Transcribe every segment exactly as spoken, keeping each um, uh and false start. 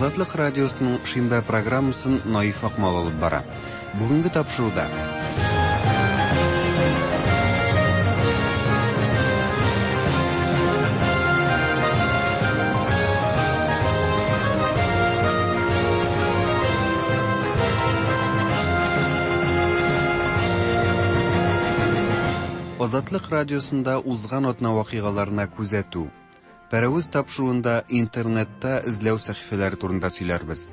Азатлык радиосының шимбә программасын Наиф Акмал алып бара. Бүгенге тапшыруда Азатлык радиосында узган атна вакыйгаларына күзәтү. Пәрәвез тапшыруында интернетта эзләү сәхифәләре турында сөйләрбез.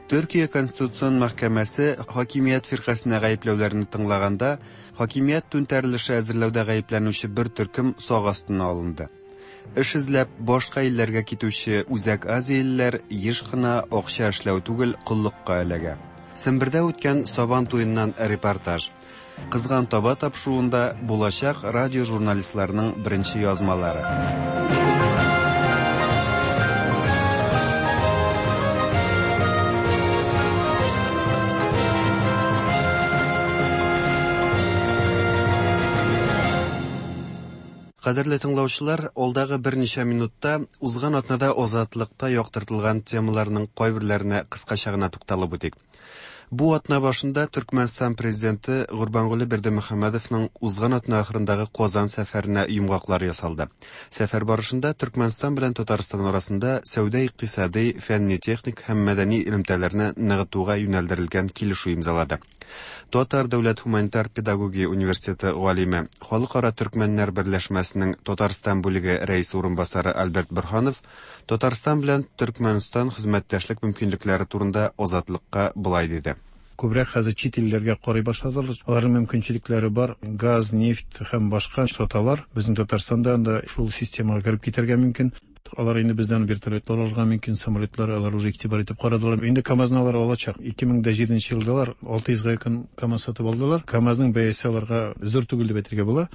Төркия Конституцион мәхкәмәсе хакимият фиркасенә гаепләүләрне тыңлаганда, хакимият түнтәрелеше әзерләүдә гаепләнүче бер төркем сак астына алынды. Эш эзләп башка илләргә китүче Үзәк Азиялеләр еш кына акча эшләү түгел, коллыкка эләгә. Сембердә үткән Сабан туеннан репортаж. Кызган таба тапшыруында булачак радио журналистларының беренче язмалары. Кадерле тыңлаучылар, алдагы берничә минутта узган атнада Азатлыкта яктыртылган темаларның кайберләренә кыскача гына тукталып үтик. Бу атна башында Төркмәнстан президенты Гурбангулы Бердымөхәммәдовның узган атна ахырындагы Казан сәфәренә йомгаклар ясалды. Сәфәр барышында Төркмәнстан белән Татарстан арасында сәүдә-икътисади, фәнни-техник һәм мәдәни элемтәләрне ныгытуга юнәлдерелгән килешү имзалады. Татар дәүләт гуманитар педагогия университеты галиме, Халыкара төркмәннәр берләшмәсенең Татарстан бүлеге рәисе урынбасары Альберт Борһанов Татарстан белән Төркмәнстан хезмәттәшлек мөмкинлекләре турында Азатлыкка болай диде. Күбрәк хәзер чит илләргә карый башладылар. Аларның мөмкинчелекләре бар. Газ, нефть һәм башка саталар. Безнең Татарстанда анда шул системага кереп китәргә мөмкин. Алар инде бездән вертолетлар алырга мөмкин, самолетлар алар уже игътибар итеп карадылар. Инде КАМАЗны алар алачак. ике мең дә җиденче елда алар алты йөзгә якын КАМАЗ сатып алдылар. КАМАЗның бәясе аларга зур түгел дип әйтергә була.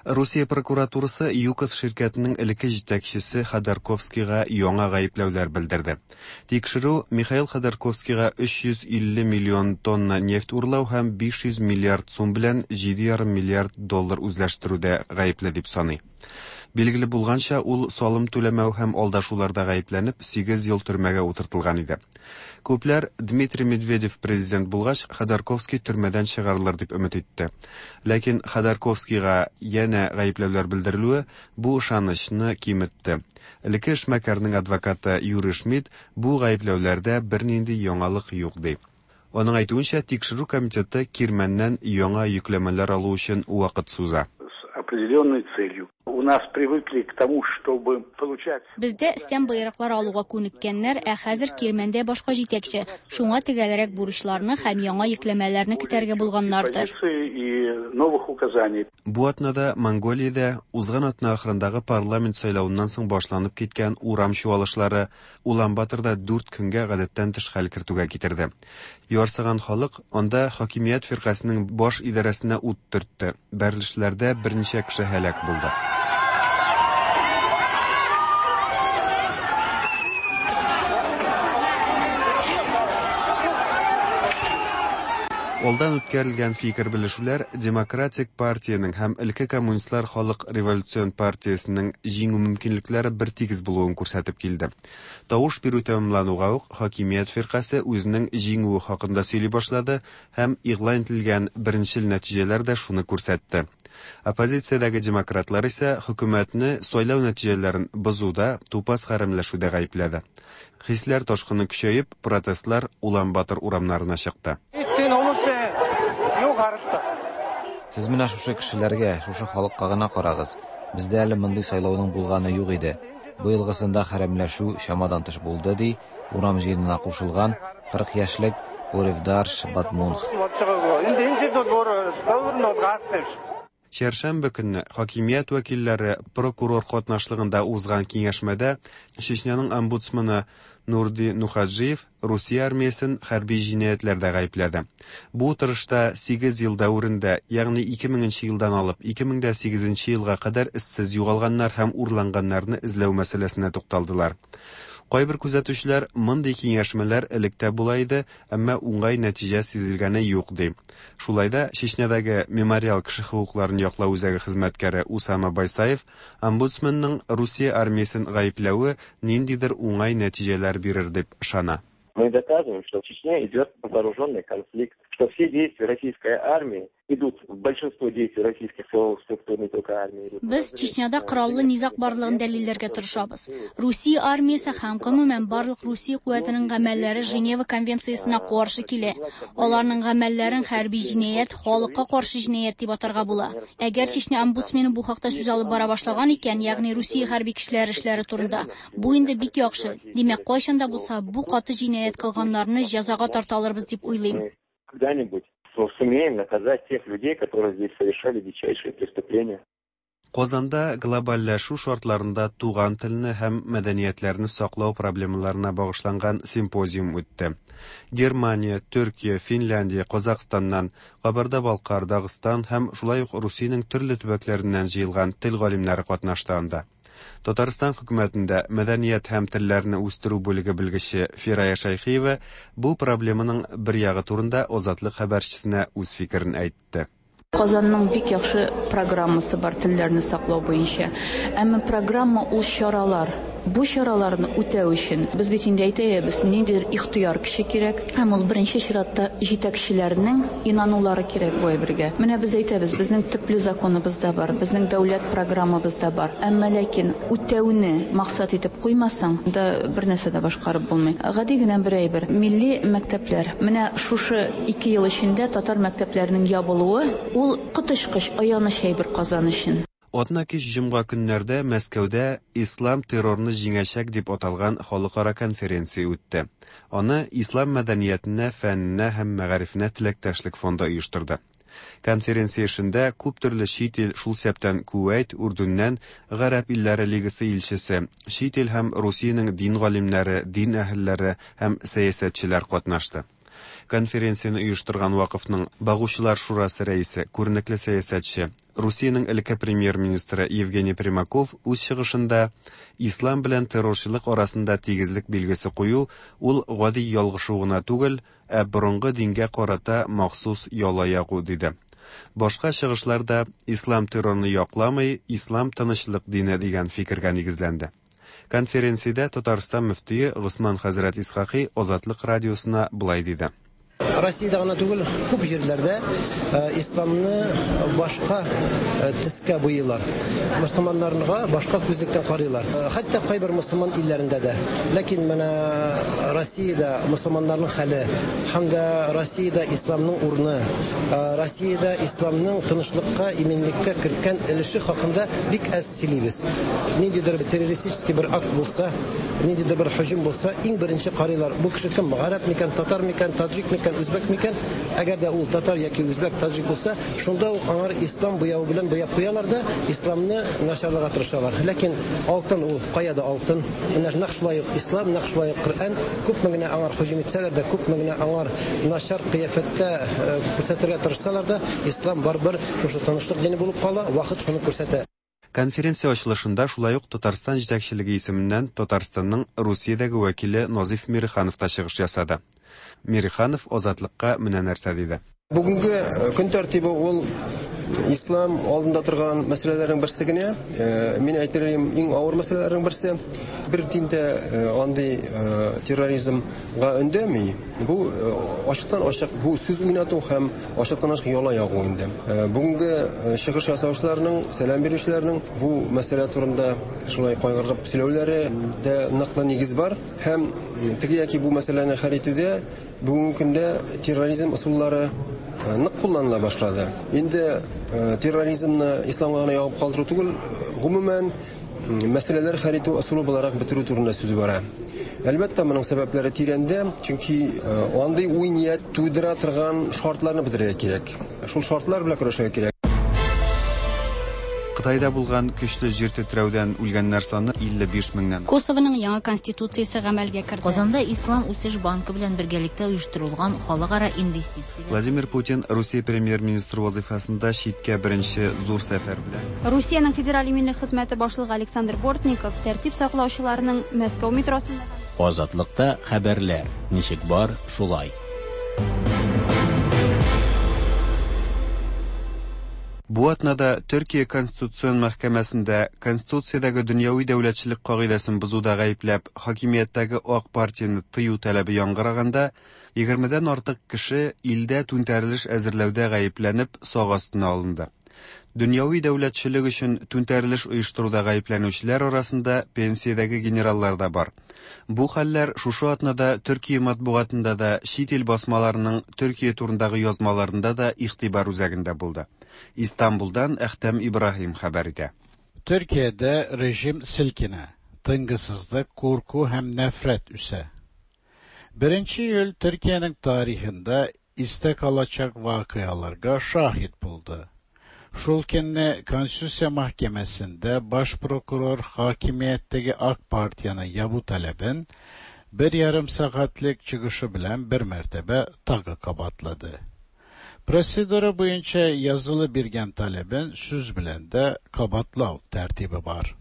Русия прокуратурасы ЮКОС ширкәтенең элекке җитәкчесе Ходорковскийга яңа гаепләүләр белдерде. Тикшерү Михаил Ходорковскийга өч йөз илле миллион тонна нефть урлау һәм биш йөз миллиард сум белән җиде ярым миллиард доллар үзләштерүдә гаепле дип саный. Билгеле булганча, ул салым түләмәү һәм алдашуларда гаепләнеп сигез ел төрмәгә утыртылган иде. Күпләр Дмитрий Медведев президент булгач, Ходорковский төрмәдән чыгарылыр дип өмет итте. Ләкин Ходорковскийга янә гаепләүләр белдерелүе бу ышанычны киметте. Элекке эшмәкәрнең адвокаты Юрий Шмидт бу гаепләүләрдә бернинди яңалык юк ди. Аның әйтүенчә, тикшерү комитеты Кирмәннән яңа йөкләмәләр алу өчен вакыт суза. Определенной целью. У нас привыкли к тому, чтобы получать... Бездә өстән боерыклар алуга күнеккәннәр, ә хәзер Кирмәндә башка җитәкче. Шуңа тегәлрәк бурычларны һәм яңа йөкләмәләрне көтәргә булганнардыр. Бу атнада Монголиядә узган атна ахырындагы парламент сайлавыннан соң башланып киткән урам чуалышлары Улан-Баторда дүрт көнгә гадәттән тыш хәл кертүгә китерде. Ярсыган халык анда хакимият фиркасының баш идарәсенә ут төртте. Бәрелешләрдә берничә кеше һәлак булды. Алдан үткәрелгән фикер белешүләр Демократик партиянең һәм элекке коммунистлар халык революцион партиясенең җиңү мөмкинлекләре бер тигез булуын күрсәтеп килде. Тавыш бирү тәмамлануга ук хакимият фиркасе үзенең җиңүе хакында сөйли башлады һәм игълан ителгән беренчел нәтиҗәләр дә шуны күрсәтте. Оппозициядәге демократлар исә хөкүмәтне сайлау нәтиҗәләрен бозуда, тупас хәрәмләшүдә гаепләде. Хисләр ташкыны көчәеп, протестлар Улан-Батор урамнарына чыкты. Сез менә шушы кешеләргә, шушы халыкка гына карагыз. Бездә әле мондый сайлауның булганы юк иде. Бу елгысында хәрәмләшү чамадан тыш булды, ди урам җыенына кушылган кырык яшьлек Уревдарш Батмунх. Чәршәмбе көнне хакимият вәкилләре прокурор катнашлыгында узган киңәшмәдә Чечняның омбудсмены Нурди Нухаджиев Русия армиясен хәрби җинаятьләрдә гаепләде. Бу утырышта сигез ел дәверендә, ягъни ике меңенче елдан алып ике мең дә сигезенче елга кадәр эзсез югалганнар һәм урланганнарны эзләү мәсьәләсенә тукталдылар. Кайбер күзәтүчеләр мондый киңәшмәләр элек тә була иде, әмма уңай нәтиҗә сизелгәне юк ди. Шулай да Чечнядагы Мемориал кеше хокукларын яклау үзәге хезмәткәре Усама Байсаев омбудсменның Русия армиясен гаепләве ниндидер уңай нәтиҗәләр бирер дип ышана. Мы доказываем, что в Чечне идет вооруженный конфликт, что все действия российской армии идут, большинство действий российских силовых структур, не только армии. Идут. Без Чечняда кораллы низаг барлыгын дәлилләргә тырышабыз. Русия армиясе һәм гомумән барлык Русия куәтенең гамәлләре Женева конвенциясенә каршы килә. Аларның гамәлләрен хәрби җинаять, халыкка каршы җинаять дип атарга була. Әгәр Чечня омбудсмены бу хакта сүз алып бара башлаган икән, ягъни Русия хәрби көчләре эшләре турында, бу инде бик яхшы. Димәк, кайчан да булса бу каты җинаять кылганнарны җәзага тарта алырбыз дип уйлыйм. Когда-нибудь сумеем наказать тех людей, которые здесь совершали дичайшие преступления. Казанда глобальләшү шартларында туган телне һәм мәдәниятләрне саклау проблемаларына багышланган симпозиум үтте. Германия, Төркия, Финляндия, Казахстаннан, Кабарда-Балкар, Дагыстан һәм шулай ук Русиянең төрле төбәкләреннән җыелган тел галимнәре катнашты анда. Татарстан хөкүмәтендә мәдәният һәм телләрне үстерү бүлеге белгече Фирая Шәйхиева бу проблеманың бер ягы турында Азатлык хәбәрчесенә үз фикерен әйтте. Казанның бик яхшы программасы бар телләрне саклау буенча. Әмма программа ул чаралар. Бу чараларны үтәү өчен без бит инде әйтәбез, ниндидер ихтыяр көче кирәк. Һәм ул беренче чиратта җитәкчеләрнең инанулары кирәк бу әйбергә. Менә без әйтәбез, безнең төпле законыбыз да бар, безнең дәүләт программабыз да бар. Әмма ләкин үтәүне максат итеп куймасаң, да бер нәрсә дә башкарып булмый. Гади генә бер әйбер. Милли мәктәпләр. Менә шушы ике ел эчендә татар мәктәпләренең ябылуы ул коточкыч аяныч әйбер Казан өчен. Атна кич җомга көннәрдә Мәскәүдә Ислам террорны җиңәчәк дип аталган халыкара конференция үтте. Аны Ислам мәдәниятенә, фәненә һәм мәгарифенә теләктәшлек фонды оештырды. Конференция эшендә күп төрле чит ил, шул исәптән Кувәйт, Үрдүннән, Гарәп илләре лигасы илчесе, чит ил һәм Русиянең дин галимнәре, дин әһелләре һәм сәясәтчеләр катнашты. Конференцияне оештырган вакыфның Багучылар шурасы рәисе, күренекле сәясәтче, Русиянең элекке премьер-министры Евгений Примаков үз чыгышында ислам белән террорчылык арасында тигезлек билгесе кую ул гади ялгышу гына түгел, ә борынгы дингә карата махсус яла ягу диде. Башка чыгышларда ислам террорны якламый, ислам тынычлык дине дигән фикергә нигезләнде. Конференциядә Татарстан мөфтие Госман хәзрәт Исхакый Азатлык радиосына болай диде. Россиядә гына түгел, күп җирләрдә исламны башка төскә буйыйлар. Мөселманнарга башка күзлектән карыйлар. Хәтта кайбер мөселман илләрендә дә. Ләкин менә Россиядә мөселманнарның хәле һәм дә Россиядә исламның урыны, Россиядә исламның тынычлыкка, иминлеккә керткән өлеше хакында бик әз сөйлибез. Ниндидер бер террористический бер акт булса, ниндидер бер һөҗүм булса, иң беренче карыйлар. Бу кеше кем? Гарәп микән, татар микән, таҗик микән, үзбәк микән? Әгәр дә ул татар яки үзбәк, таҗик булса, шунда ук аңар ислам буявы белән буяп куялар да, исламны начарларга тырышалар. Ләкин алтын ул кая да алтын. Менә нәкъ шулай ук ислам, нәкъ шулай ук Коръән күпме генә аңар һөҗүм итсәләр дә, күпме генә аңар начар кыяфәттә күрсәтергә тырышсалар да, ислам барыбер шушы тынычлык дине булып кала, вакыт шуны күрсәтә. Конференция ачылышында шулай ук Татарстан җитәкчелеге исеменнән Татарстанның Русиядәге вәкиле Назиф Мириханов та чыгыш ясады. Мириханов Азатлыкка менә нәрсә диде. Бүгенге көн тәртибе ул ислам алдында торган мәсьәләләрнең берсе генә. Мин әйтер идем, иң авыр мәсьәләләрнең берсе. Бер диндә андый терроризмга өндәми. Бу ачыктан ачык бу сүз уйнату һәм ачыктан ачык яла ягу инде. Бүгенге чыгыш ясаучыларның, сәлам бирүчеләрнең бу мәсьәлә турында шулай кайгырып сөйләүләре дә ныклы нигез бар һәм теге яки бу мәсьәләне хәл итүдә бүгенге көндә терроризм ысуллары нык кулланыла башлады. Инде терроризмны исламга гына ягып калдыру түгел, гомумән мәсьәләләр хәл итү ысулы буларак бетерү турында сүз бара. Әлбәттә, моның сәбәпләре тирәндә, чөнки андый уй-ният тудыра торган шартларны бетерергә кирәк. Шул шартлар белән көрәшергә кирәк. Кытайда булган көчле җир тетрәүдән үлгәннәр саны илле биш меңнән. Косованың яңа конституциясе гамәлгә керде. Казанда Ислам үсеш банкы белән бергәлектә оештырылган халыкара инвестицияләр. Владимир Путин Русия премьер-министры вазифасында читкә беренче зур сәфәр белән. Русиянең федераль иминлек хезмәте башлыгы Александр Бортников тәртип саклаучыларның Мәскәү метросында Азатлыкта хәбәрләр ничек бар, шулай. Бу атнада Төркия Конституцион мәхкәмәсендә Конституциядәге дөньяви дәүләтчелек кагыйдәсен бозуда гаепләп, хакимияттәге Ак партияне тыю таләбе яңгыраганда, егермедән артык кеше илдә түнтәрелеш әзерләүдә гаепләнеп сак астына алынды. Дөньяви дәүләтчелек өчен түнтәрелеш оештыруда гаепләнүчеләр арасында пенсиядәге генераллар да бар. Бу хәлләр шушы атнада Төркия матбугатында да, чит ил басмаларының Төркия турындагы язмаларында да игътибар үзәгендә булды. Истанбулдан Әхтәм Ибраһим хәбәр итә. Төркиядә режим селкенә, тынгысызлык, курку һәм нәфрәт үсә. Беренче июль Төркиянең тарихында истә калачак вакыяларга шаһит булды. Шул көнне Конституция мәхкәмәсендә баш прокурор хакимияттәге Ак партияне ябу таләбен бер ярым сәгатьлек чыгышы белән бер мәртәбә тагы кабатлады. Процедура буенча язылы биргән таләбен сүз белән дә кабатлау тәртибе бар.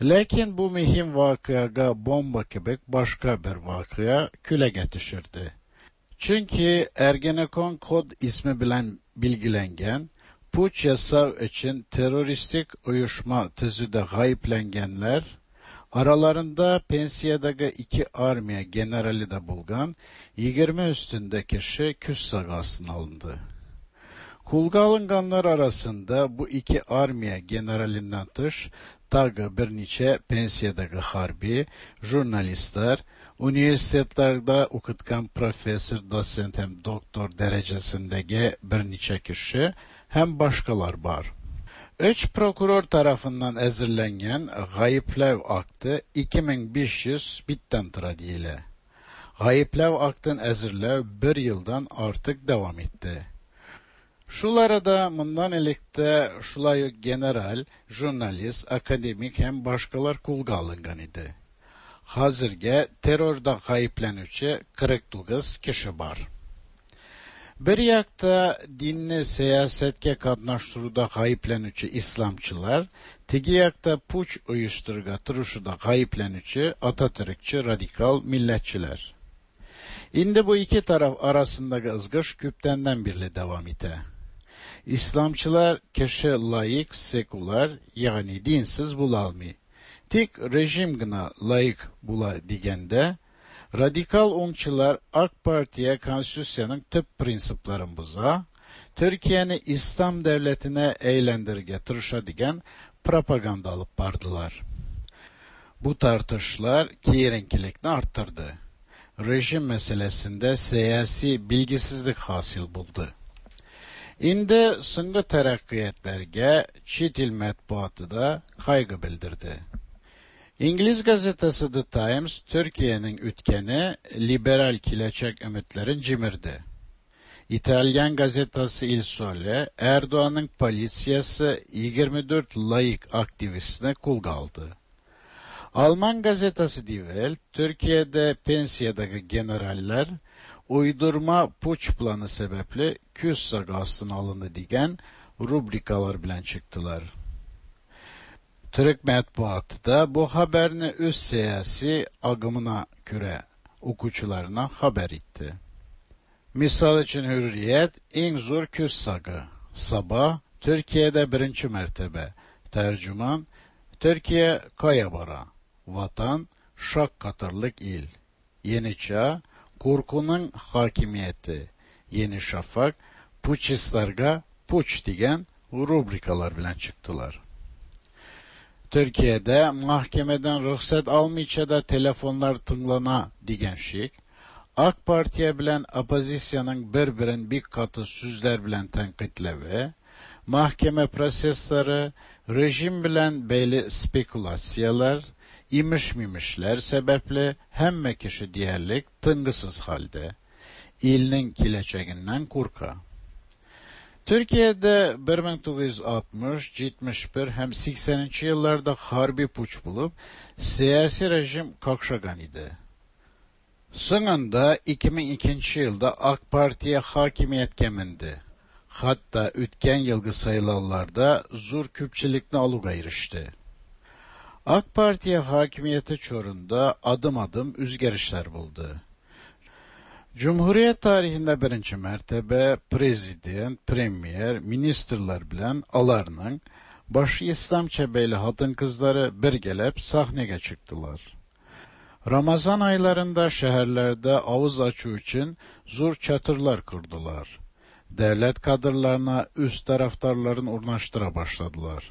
Ләкин бу мөһим вакыйга бомба кебек башка бер вакыйга күләгә төшерде. Чөнки Ergenekon kod ismi белән билгеләнгән puç yasav için teröristik uyuşma tüzüde gayiplengenler, aralarında pensiyadagi iki armiya generali de bulgan yigirmi üstünde kişi küs sagasına alındı. Kulga alınganlar arasında bu iki armiya generalinden tış, tagı bir neçe pensiyadagi harbi, jurnalistler, üniversitelerde okutkan profesör, dosent hem doktor derecesindeki bir neçe kişi hem başkalar var. Üç prokuror tarafından ezirlengen gayiplev aktı iki ming besh yuz bitten tura deyile. Gayiplev aktın ezirlev bir yıldan artık devam etti. Şulara mundan elekte şulay general, jurnalist, akademik hem başkalar kulga alıngan idi. Hazırga terörde gayiplenüçü qirq to'qqiz kişi var. Bir yakta dinni siyasetke qatnaştıruda gayiplenüçü İslamçılar, tigi yakta puç uyuşturga turuşuda gayiplenüçü Atatürkçü radikal milletçiler. Şimdi bu iki taraf arasındaki ızgış küptenden birli devam ite. İslamçılar kişi laik, sekular, yani dinsiz bulalmı. Tik rejim gına laik bula digende, radikal onçular AK Parti'ye konstitüsyanın tüp prinsiplerini boza, Türkiye'ni İslam devletine eğlendirge tırışa digen propaganda alıp bardılar. Bu tartışlar kiyerinkilikni arttırdı. Rejim meselesinde siyasi bilgisizlik hasil buldu. Şimdi soñgi terakkiyatlarga çet il matbuatı da kaygı bildirdi. İngiliz gazetesi The Times, Türkiye'nin ütkeni liberal kilecek ümitlerin cimirdi. İtalyan gazetesi Il Sole, Erdoğan'ın politsiyası yigirma to'rt laik aktivistini kulga aldı. Alman gazetesi Die Welt, Türkiye'de pensiyadaki generaller uydurma puç planı sebeple küs sagastına alındı digen rubrikalar bilen çıktılar. Türk matbuatı da bu haberini öz siyasi agımına göre okuyucularına haber etti. Misal için Hürriyet, en zor küs sagı. Sabah, Türkiye'de birinci mertebe. Tercüman, Türkiye kaya bara. Vatan, şak katırlık il. Yeni Çağ, korkunun hakimiyeti. Yeni Şafak, puçistlarga puç digen rubrikalar bilen çıktılar. Türkiye'de mahkemeden ruhsat almayınca da telefonlar tınglana digen şik, AK Parti'ye bilen opozisyanın bir-birin bir katı sözler bilen tenkitlevi, mahkeme prosesleri, rejim bilen beyli spekülasyalar, imiş mimişler sebeple hemme kişi diyerlik tıngısız halde, ilinin kileçeğinden korka. Türkiye'de bir mең тугыз йөз алтмыш, җитмеш бер һәм сиксәненче елларда harbi puç bulup siyasi rejim kakşagan idi. Sonunda iki mең икенче елда AK Parti'ye hakimiyet kemindi. Hatta үткән yılgı sayılanlarda zur küpçilikni aluga erişti. AK Parti'ye hakimiyeti çorunda adım adım üzgerişler buldu. Cumhuriyet tarihinde birinci mertebe prezident, premier, ministrlar bilen alarının başı İslamça beyli hatın kızları bir gelip sahneye çıktılar. Ramazan aylarında şehirlerde avuz açu için zur çatırlar kurdular. Devlet kadrlarına üst taraftarların urnaştıra başladılar.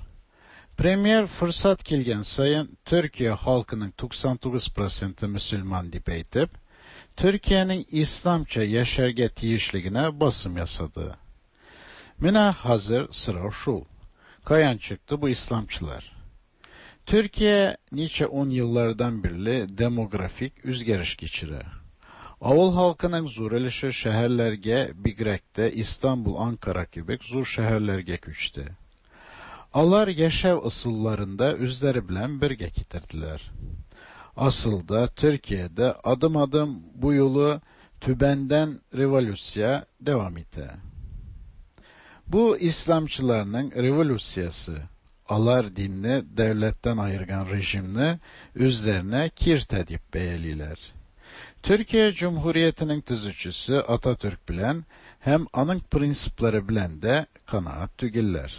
Premier fırsat kelgen sayın Türkiye halkının doksan to'qqiz prosenti Müslüman dip aytib, Türkiye'nin İslamça yaşarga tiyishligine basım yasadı. Mine hazır sıra şu. Kayan çıktı bu İslamçılar. Türkiye niçe on yıllardan beri demografik üzgeriş geçire. Avul halkının zur ilişi şehirlerge, bigrekte İstanbul, Ankara gibi zur şehirlerge küçtü. Alar yaşav ısıllarında üzleri bilen birge getirdiler. Asıl da Türkiye'de adım adım bu yolu tübenden revolüsiya devam etti. Bu İslamçılarının revolüsiyası, alar dinni devletten ayırgan rejimni üzerine kirt edip beyeliler. Türkiye Cumhuriyeti'nin tüzücüsü Atatürk bilen hem anın prinsipleri bilen de kanaat tügiller.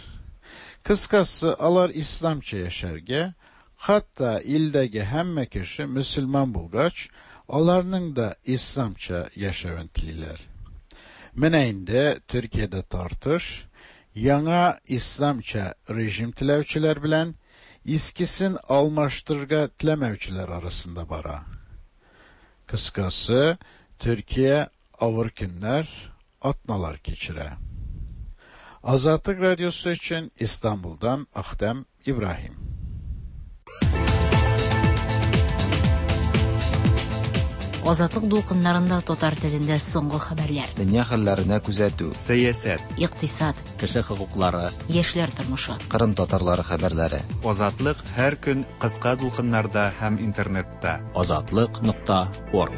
Kıskası alar İslamça yaşarge, hatta ildagi hemme kişi Müslüman bulgaç, alarının da İslamça yaşaventliler. Mine Türkiye'de tartış, yana İslamça rejim tilevçiler bilen, iskisin almaştırga tilemevçiler arasında bara. Kıskası, Türkiye ağır günler, atnalar keçire. Azatlık Radyosu için İstanbul'dan Ahdem İbrahim. Азатлык дулкыннарында татар телендә соңгы хәбәрләр. Дөнья хәлләренә күзәтү, сәясәт, икътисад, кеше хокуклары, яшьләр тормышы, Кырым татарлары хәбәрләре. Азатлык һәр көн кыска дулкыннарда һәм интернетта. Азатлык нокта орг.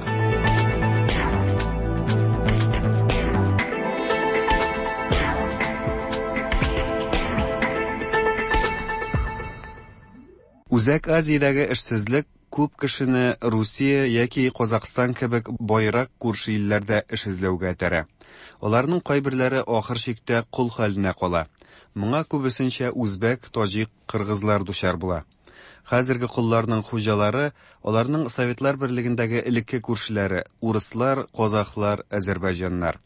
Үзәк Азиядәге эшсезлек күп кешене Русия яки Казахстан кебек байрак күрше илләрдә эш эзләүгә этәрә. Аларның кайберләре ахыр чиктә кол хәленә кала. Моңа күбесенчә үзбәк, таҗик, кыргызлар дучар була. Хәзерге колларның хуҗалары аларның Советлар Берлегендәге элекке күршеләре урыслар, казахлар, азәрбайҗаннар.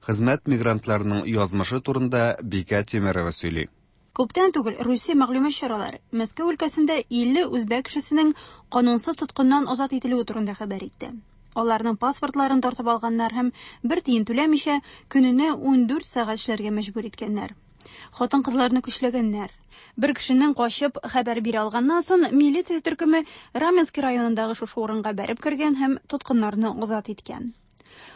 Хезмәт мигрантларының язмышы турында Бикә Тимерова сөйли. Күптән түгел Русия мәгълүмат чаралары Мәскәү өлкәсендә илле үзбәк кешесенең канунсыз тоткыннан азат ителүе турында хәбәр итте. Аларның паспортларын тартып алганнар һәм бер тиен түләмичә көненә ундүрт сәгать эшләргә мәҗбүр иткәннәр. Хатын-кызларны көчләгәннәр. Бер кешенең качып хәбәр бирә алганнан соң милиция төркеме Раменский районындагы шушы урынга бәреп кергән һәм тоткыннарны азат иткән.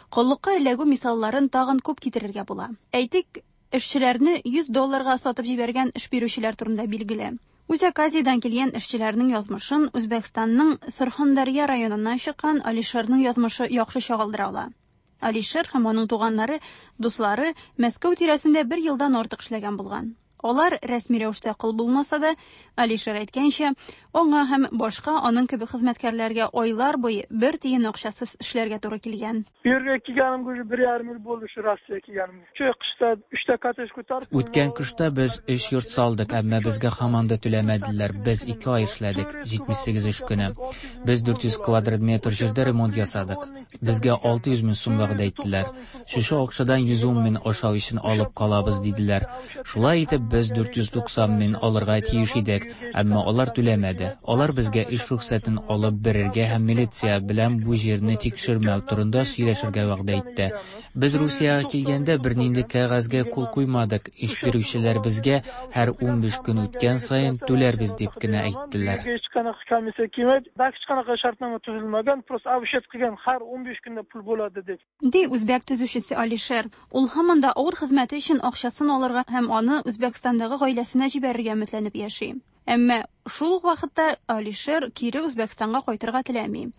Коллыкка эләгү мисалларын тагын күп китерергә була. Әйтик, эшчеләрне йөз долларга сатып җибәргән эш бирүчеләр турында билгеле. Үзәк Азиядән килгән эшчеләрнең язмышын Үзбәкстанның Сырхандарья районыннан чыккан Алишерның язмышы яхшы чагылдыра ала. Алишер һәм аның туганнары, дуслары Мәскәү тирәсендә бер елдан артык эшләгән булган. Алар рәсми рәвештә кол булмаса да, Алишер әйткәнчә, аңа һәм башка аның кебек хезмәткәрләргә айлар буе бер тиен акчасыз эшләргә туры килгән. Bu yerga kelganimga уже bir yarim yil bo'ldi shu Rossiyaga kelganimga. Shu qishda uchta kottej ko'tarib. Үткән кышта без өч йорт салдык, әмма безгә һаман да түләмәделәр. Без ике ай эшләдек, җитмеш сигез эш көне. Без дүрт йөз квадрат метр җирдә ремонт ясадык. Безгә алты йөз мең сум вәгъдә иттеләр. Шушы акчадан йөз ун мең ашау өчен алып калабыз диделәр. Шулай итеп без дүрт йөз туксан мең алырга тиеш идек, әмма алар түләмәде. Алар безгә эш рөхсәтен алып бирергә һәм милиция белән бу җирне тикшермәү турында сөйләшергә вәгъдә итте. Без Русиягә килгәндә бернинди кәгазьгә кул куймадык. Эш бирүчеләр безгә һәр унбиш көн үткән саен түләрбез дип кенә әйттеләр. Hech qanaqa komissiya kelmaydi, hech qanaqa shartnoma tuzilmagan, просто обещать qilgan har o'n besh kunda pul bo'ladi deb. Ди үзбәк төзүчесе Алишер. Ул һаман да авыр хезмәте өчен акчасын алырга һәм аны Үзбәкстандагы гаиләсенә җибәрергә өметләнеп яши. Әмма шул ук вакытта Алишер кире Үзбәкстанга кайтырга теләми.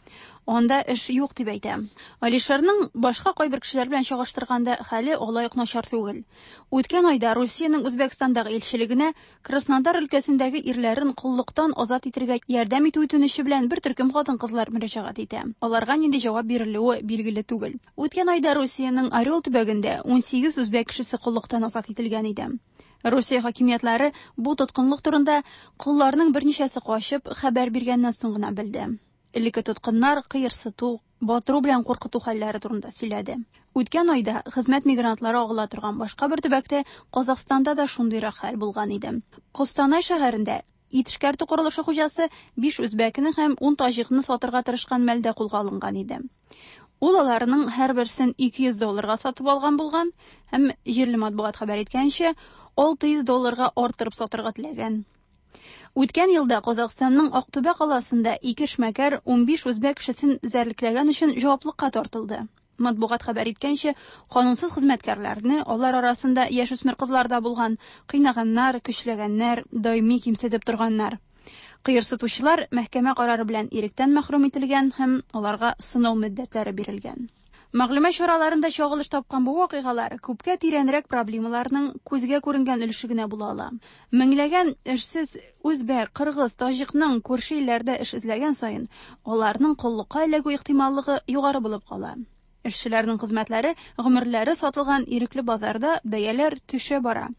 Анда эш юк дип әйтә. Алишерның башка кайбер кешеләр белән чагыштырганда хәле алай ук начар түгел. Үткән айда Русиянең Үзбәкстандагы илчелегенә Краснодар өлкәсендәге ирләрен коллыктан азат итәргә ярдәм итү үтенече белән бер төркем хатын-кызлар мөрәҗәгать итә. Аларга нинди җавап бирелүе билгеле түгел. Үткән айда Русиянең Орел төбәгендә ун сигез үзбәк кешесе коллыктан азат ителгән иде. Русия хакимиятләре бу тоткынлык турында колларның берничәсе качып хәбәр биргәннән соң гына белде. Элекке тоткыннар кыерсыту, батыру белән куркыту хәлләре турында сөйләде. Үткән айда хезмәт мигрантлары агыла торган башка бер төбәктә Казахстанда да шундыйрак хәл булган иде. Костанай шәһәрендә ит эшкәртү корылышы хуҗасы биш үзбәкне һәм ун таҗикны сатырга тырышкан мәлдә кулга алынган иде. Ул аларның һәрберсен ике йөз долларга сатып алган булган һәм җирле матбугат хәбәр иткәнчә алты йөз долларга арттырып сатырга теләгән. Үткән елда Казахстанның Актүбә каласында ике эшмәкәр унбиш үзбәк кешесен зәрлекләгән өчен җаваплылыкка тартылды. Матбугат хәбәр иткәнчә, канунсыз хезмәткәрләрне, алар арасында яшүсмер кызлар да булган, кыйнаганнар, көчләгәннәр, даими кимсетеп торганнар. Кыерсытучылар мәхкәмә карары белән иректән мәхрүм ителгән һәм аларга сынау мөддәтләре бирелгән. Мәгълүмат чараларында чагылыш тапкан бу вакыйгалар күпкә тирәнрәк проблемаларның күзгә күренгән өлеше генә була ала. Меңләгән эшсез үзбәк, кыргыз, таҗикның күрше илләрдә эш эзләгән саен аларның коллыкка эләгү ихтималлыгы югары булып кала. Эшчеләрнең хезмәтләре, гомерләре сатылган ирекле базарда бәяләр төшә бара.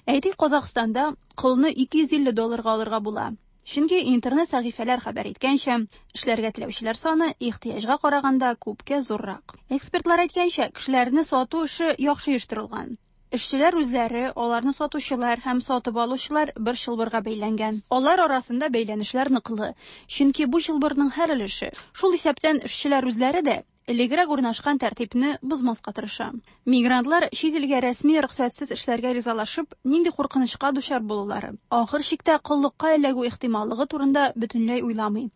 Әйтик, Казахстанда колны ике йөз илле долларга алырга була. Чөнки интернет сәхифәләр хәбәр иткәнчә, эшләргә теләүчеләр саны ихтыяҗга караганда күпкә зуррак. Экспертлар әйткәнчә, кешеләрне сату эше яхшы оештырылган. Эшчеләр үзләре, аларны сатучылар һәм сатып алучылар бер чылбырга бәйләнгән. Алар арасында бәйләнешләр ныклы. Чөнки бу чылбырның һәр өлеше, шул исәптән эшчеләр үзләре дә элегрәк урнашкан тәртипне бозмаска тырыша. Мигрантлар чит илгә рәсми рөхсәтсез эшләргә ризалашып, нинди куркынычка дучар булулары, ахыр чиктә коллыкка эләгү ихтималлыгы турында бөтенләй уйламый.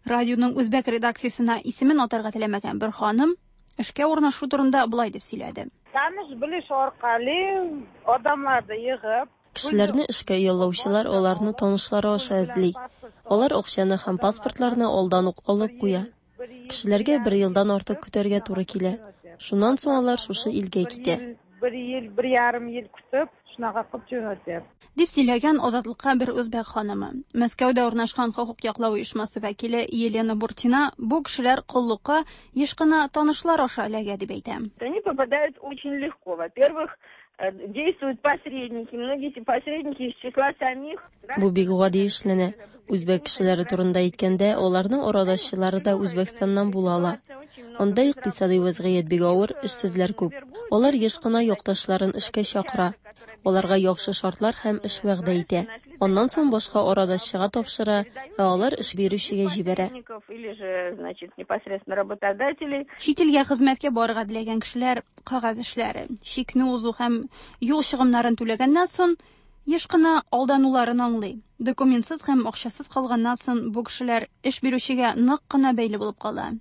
Радионың үзбәк редакциясенә исемен атарга теләмәгән бер ханым эшкә урнашу турында болай дип сөйләде. Таныш белеш аркалы адамларны йыгып, Кешеләрне эшкә яллаучылар аларны танышлары аша эзли. Алар акчаны һәм паспортларны алдан ук алып куя. Кешеләргә бер елдан артык көтәргә туры килә. Шуннан соң алар шушы илгә китә. Бер ел, бер ярым ел көтеп, шунага кылып җөнәтә. Дип сөйләгән Азатлыкка бер үзбәк ханымы. Мәскәүдә урнашкан хокук яклау оешмасы вәкиле Елена Буртина бу кешеләр коллыкка еш кына танышлар аша эләгә дип әйтә. Они попадают очень легко. Во-первых, действуют посредники, многие эти посредники из числа самих. Бу бик гади эшләнә. Үзбәк кешеләре турында әйткәндә, аларның арадашчылары да Үзбәкстаннан була ала. Анда икътисади вазгыять бик авыр, эшсезләр күп. Алар еш кына якташларын эшкә чакыра. Аларга яхшы шартлар һәм эш вәгъдә итә. Аннан соң башка арадашчыга тапшыра, ә алар эш бирүчегә җибәрә. Чит илгә хезмәткә барырга теләгән кешеләр кәгазь эшләре, чикне узу һәм юл чыгымнарын түләгәннән соң еш кына алдануларын аңлый. Документсыз һәм акчасыз калганнан соң бу кешеләр эш бирүчегә нык кына бәйле булып кала.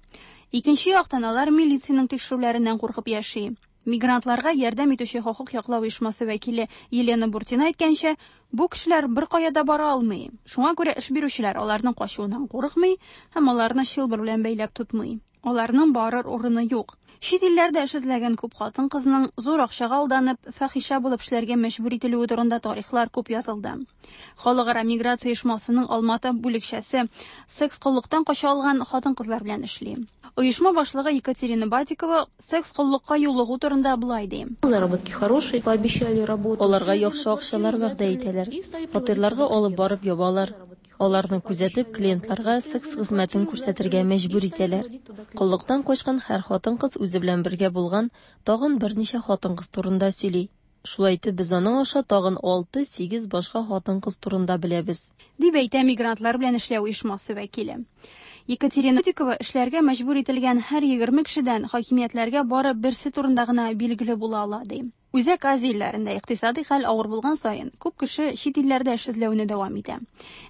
Икенче яктан алар милициянең тикшерүләреннән куркып яши. Мигрантларга ярдәм итүче хокук яклау оешмасы вәкиле Елена Буртина әйткәнчә, бу кешеләр бер кая да бара алмый. Шуңа күрә эш бирүчеләр аларның качуыннан курыкмый һәм аларны чылбыр белән бәйләп тотмый. Аларның барыр урыны юк. Чит илләрдә эш эзләгән күп хатын-кызның зур акчага алданып, фахиша булып эшләргә мәҗбүр ителүе турында тарихлар күп язылды. Халыкара миграция оешмасының Алматы бүлекчәсе секс коллыктан кача алган хатын-кызлар белән эшли. Оешма башлыгы Екатерина Батикова секс коллыкка юлыгу турында болай ди. Заработки хорошие, пообещали работу. Аларга яхшы акчалар вәгъдә итәләр. Фатирларга алып барып ябалар. Аларны күзәтеп, клиентларга секс хезмәтен күрсәтергә мәҗбүр итәләр. Коллыктан качкан һәр хатын-кыз үзе белән бергә булган тагын берничә хатын-кыз турында сөйли. Шулай итеп, без аның аша тагын алты-сигез башка хатын-кыз турында беләбез. Дип әйтә мигрантлар белән эшләү оешмасы вәкиле. Екатерина Дикова эшләргә мәҗбүр ителгән һәр егерме кешедән хакимиятләргә бары берсе турында гына билгеле була ала, ди. Үзәк Азия илләрендә икътисади хәл авыр булган саен, күп кеше чит илләрдә эш эзләүне дәвам итә.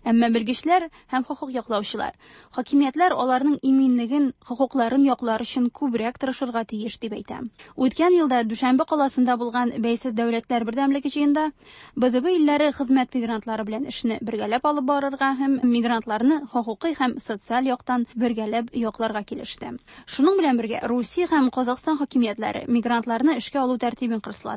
Әмма белгечләр һәм хокук яклаучылар хакимиятләр аларның иминлеген, хокукларын яклар өчен күбрәк тырышырга тиеш дип әйтә. Үткән елда Дүшәмбе каласында булган Бәйсез дәүләтләр бердәмлеге җыенында Б Д Б илләре хезмәт мигрантлары белән эшне бергәләп алып барырга һәм мигрантларны хокукый һәм социаль яктан бергәләп якларга килеште. Шуның белән бергә Русия һәм Казахстан хакимиятләре мигрантларны эшкә алу тәртибен кырыслатты.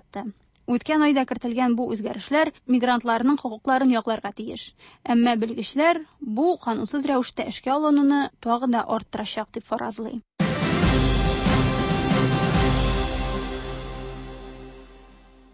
Үткән айда кертелгән бу үзгәрешләр мигрантларның хокукларын якларга тиеш. Әмма белгечләр бу канунсыз рәвештә эшкә алынуны тагы да арттырачак дип фаразлый.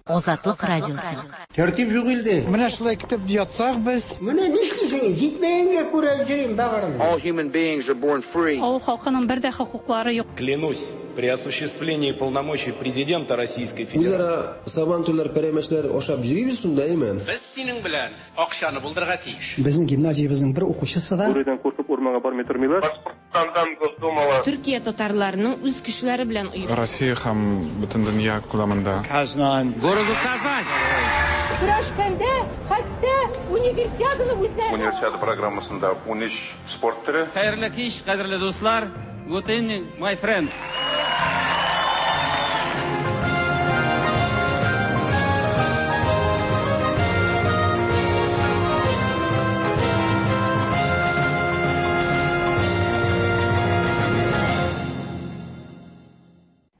Азатлык радиосы. Тәртип юк илдә. Менә шулай көтеп ятсак без. Менә нишлисең? Җитмәгәнгә күрә йөрим багырым. All human beings are born free. Авыл халкының бер дә хокуклары юк. Клянусь, при осуществлении полномочий президента Российской Федерации. Үзара сабантуйлар, пәрәмәчләр ашап йөрибез шунда, әйме? Без синең белән акчаны булдырырга тиеш. Безнең гимназиябезнең бер укучысы да Бүредән куркып урманга бармый тормыйлар. Башкортстандан Госдумала. Төркия татарларының үз көчләре белән оештырды. Россия һәм бөтен дөнья күләмендә. Казан. Городу Казань. Көрәшкәндә хәтта универсиаданы үзләре. Универсиада программасында унөч спорт төре. Хәерле кич, кадерле дуслар. Good evening, my friends.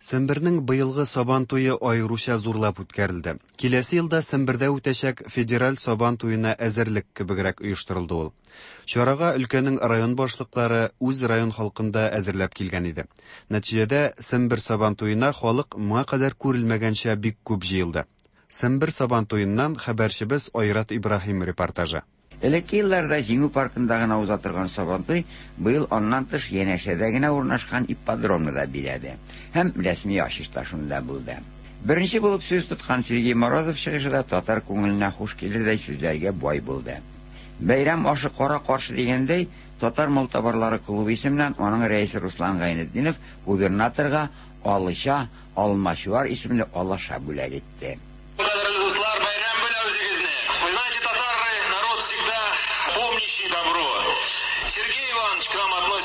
Сембернең быелгы Сабан туе аеруча зурлап үткәрелде. Киләсе елда Сембердә үтәчәк федераль Сабан туена әзерлек кебегрәк оештырылды ул. Чарага өлкәнең район башлыклары үз район халкында әзерләп килгән иде. Нәтиҗәдә Сембер Сабан туена халык моңа кадәр күрелмәгәнчә бик күп җыелды. Сембер Сабан туеннан хәбәрчебез Айрат Ибраһим репортажы. Элекке елларда Җиңү паркында гына уза торган Сабантуй быел аннан тыш янәшәдә генә урнашкан ипподромны да биләде. Һәм рәсми ачыш та шунда булды. Беренче булып сүз тоткан Сергей Морозов чыгышы да татар күңеленә хуш килердәй сүзләргә бай булды. Бәйрәм ашы кара каршы дигәндәй, Татар малтабарлары клубы исеменнән аның рәисе Руслан Гайнетдинов губернаторга Алыша Алмачуар исемле алаша бүләк итте.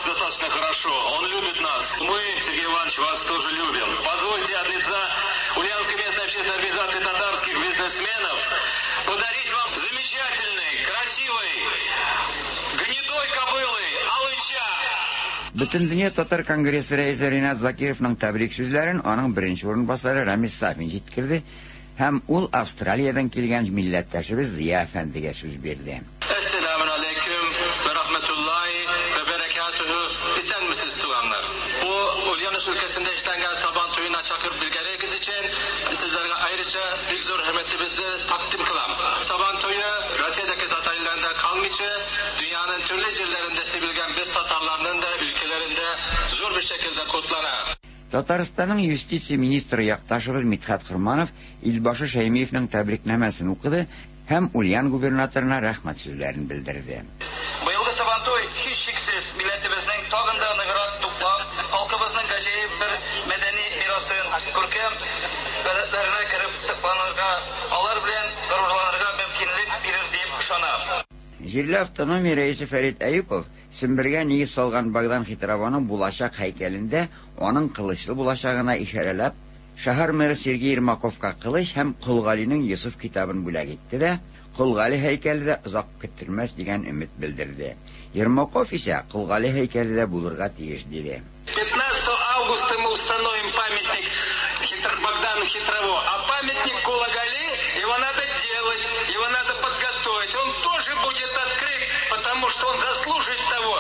Достаточно хорошо. Он любит нас. Мы, Сергей Иванович, вас тоже любим. Позвольте от лица Ульяновской местной общественной организации татарских бизнесменов подарить вам замечательный, красивый, гнедой кобылы Алыча. Бөтендөнья татар конгрессы рәисе Ринат Закировның тәбрик сүзләрен аның беренче урынбасары Рамис Сафин җиткерде һәм ул Австралиядән килгән милләттәшебез Зия әфәндегә сүз бирде. Әссәламу алейкум вә рахматуллаһи вә бәрәкәтүһү. Исәнмесез, туганнар. Бу Ульяновск өлкәсендә эшләнгән Сабан туена чакырып биргәнегез өчен сезләргә аеруча бик зур хөрмәтебезне тәкъдим кылам. Сабан туе Россиядәге татар илләрендә калмыйча, дөньяның төрле җирләрендә сибелгән без татарларның да өлкәләрендә зур бер шәкелдә котлана. Татарстанның юстиция министры якташыбыз Мидхәт Хорманов Илбашы Шәймиевның тәбрикнамәсен укыды һәм Ульян губернаторына рәхмәт сүзләрен белдерде. Быелгы Сабантуй һичшиксез милләтебезнең тагын да ныграк туплап, халкыбызның гаҗәеп бер мәдәни мирасын, күркәм гадәтләренә кереп сакланырга, алар белән горурланырга мөмкинлек бирер дип ышанам. Җирле автономия рәисе Фәрит Әюпов Сембергә нигез салган Богдан Хитрованың булачак һәйкәлендә аның кылычлы булачагына ишарәләп, шәһәр мэры Сергей Ермаковка кылыч һәм Кол Галинең Йосыф китабын бүләк итте дә, Кол Гали һәйкәле дә озак көттермәс дигән өмет белдерде. Ермаков исә Кол Гали һәйкәле дә булырга тиеш диде. пятнадцатого августа мы установим памятник Хитр... Богдану Хитрово, а памятник Кулагали, его надо делать, его надо подготовить. Он тоже будет открыт, потому что он заслужит того,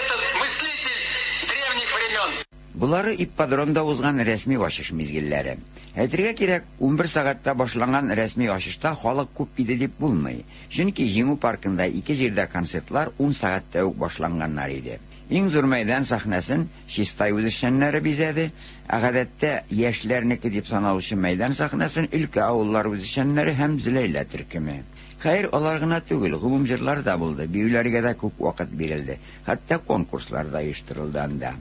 этот мыслитель древних времен. Булары ипподромда узган рәсми ачыш мизгелләре. Әйтергә кирәк, унбер сәгатьтә башланган рәсми ачышта халык күп иде дип булмый. Чөнки Җиңү паркында ике җирдә концертлар ун сәгатьтә үк башланганнар иде. Иң зур мәйдан сәхнәсен Чистай үзешчәннәре бизәде, ә гадәттә яшьләрнеке дип саналучы мәйдан сәхнәсен өлкә авыллары үзешчәннәре һәм Зөләйлә төркеме. Хәер, алар гына түгел, гомум җырлар да булды, биюләргә дә күп вакыт бирелде, хәтта конкурслар да оештырылды анда.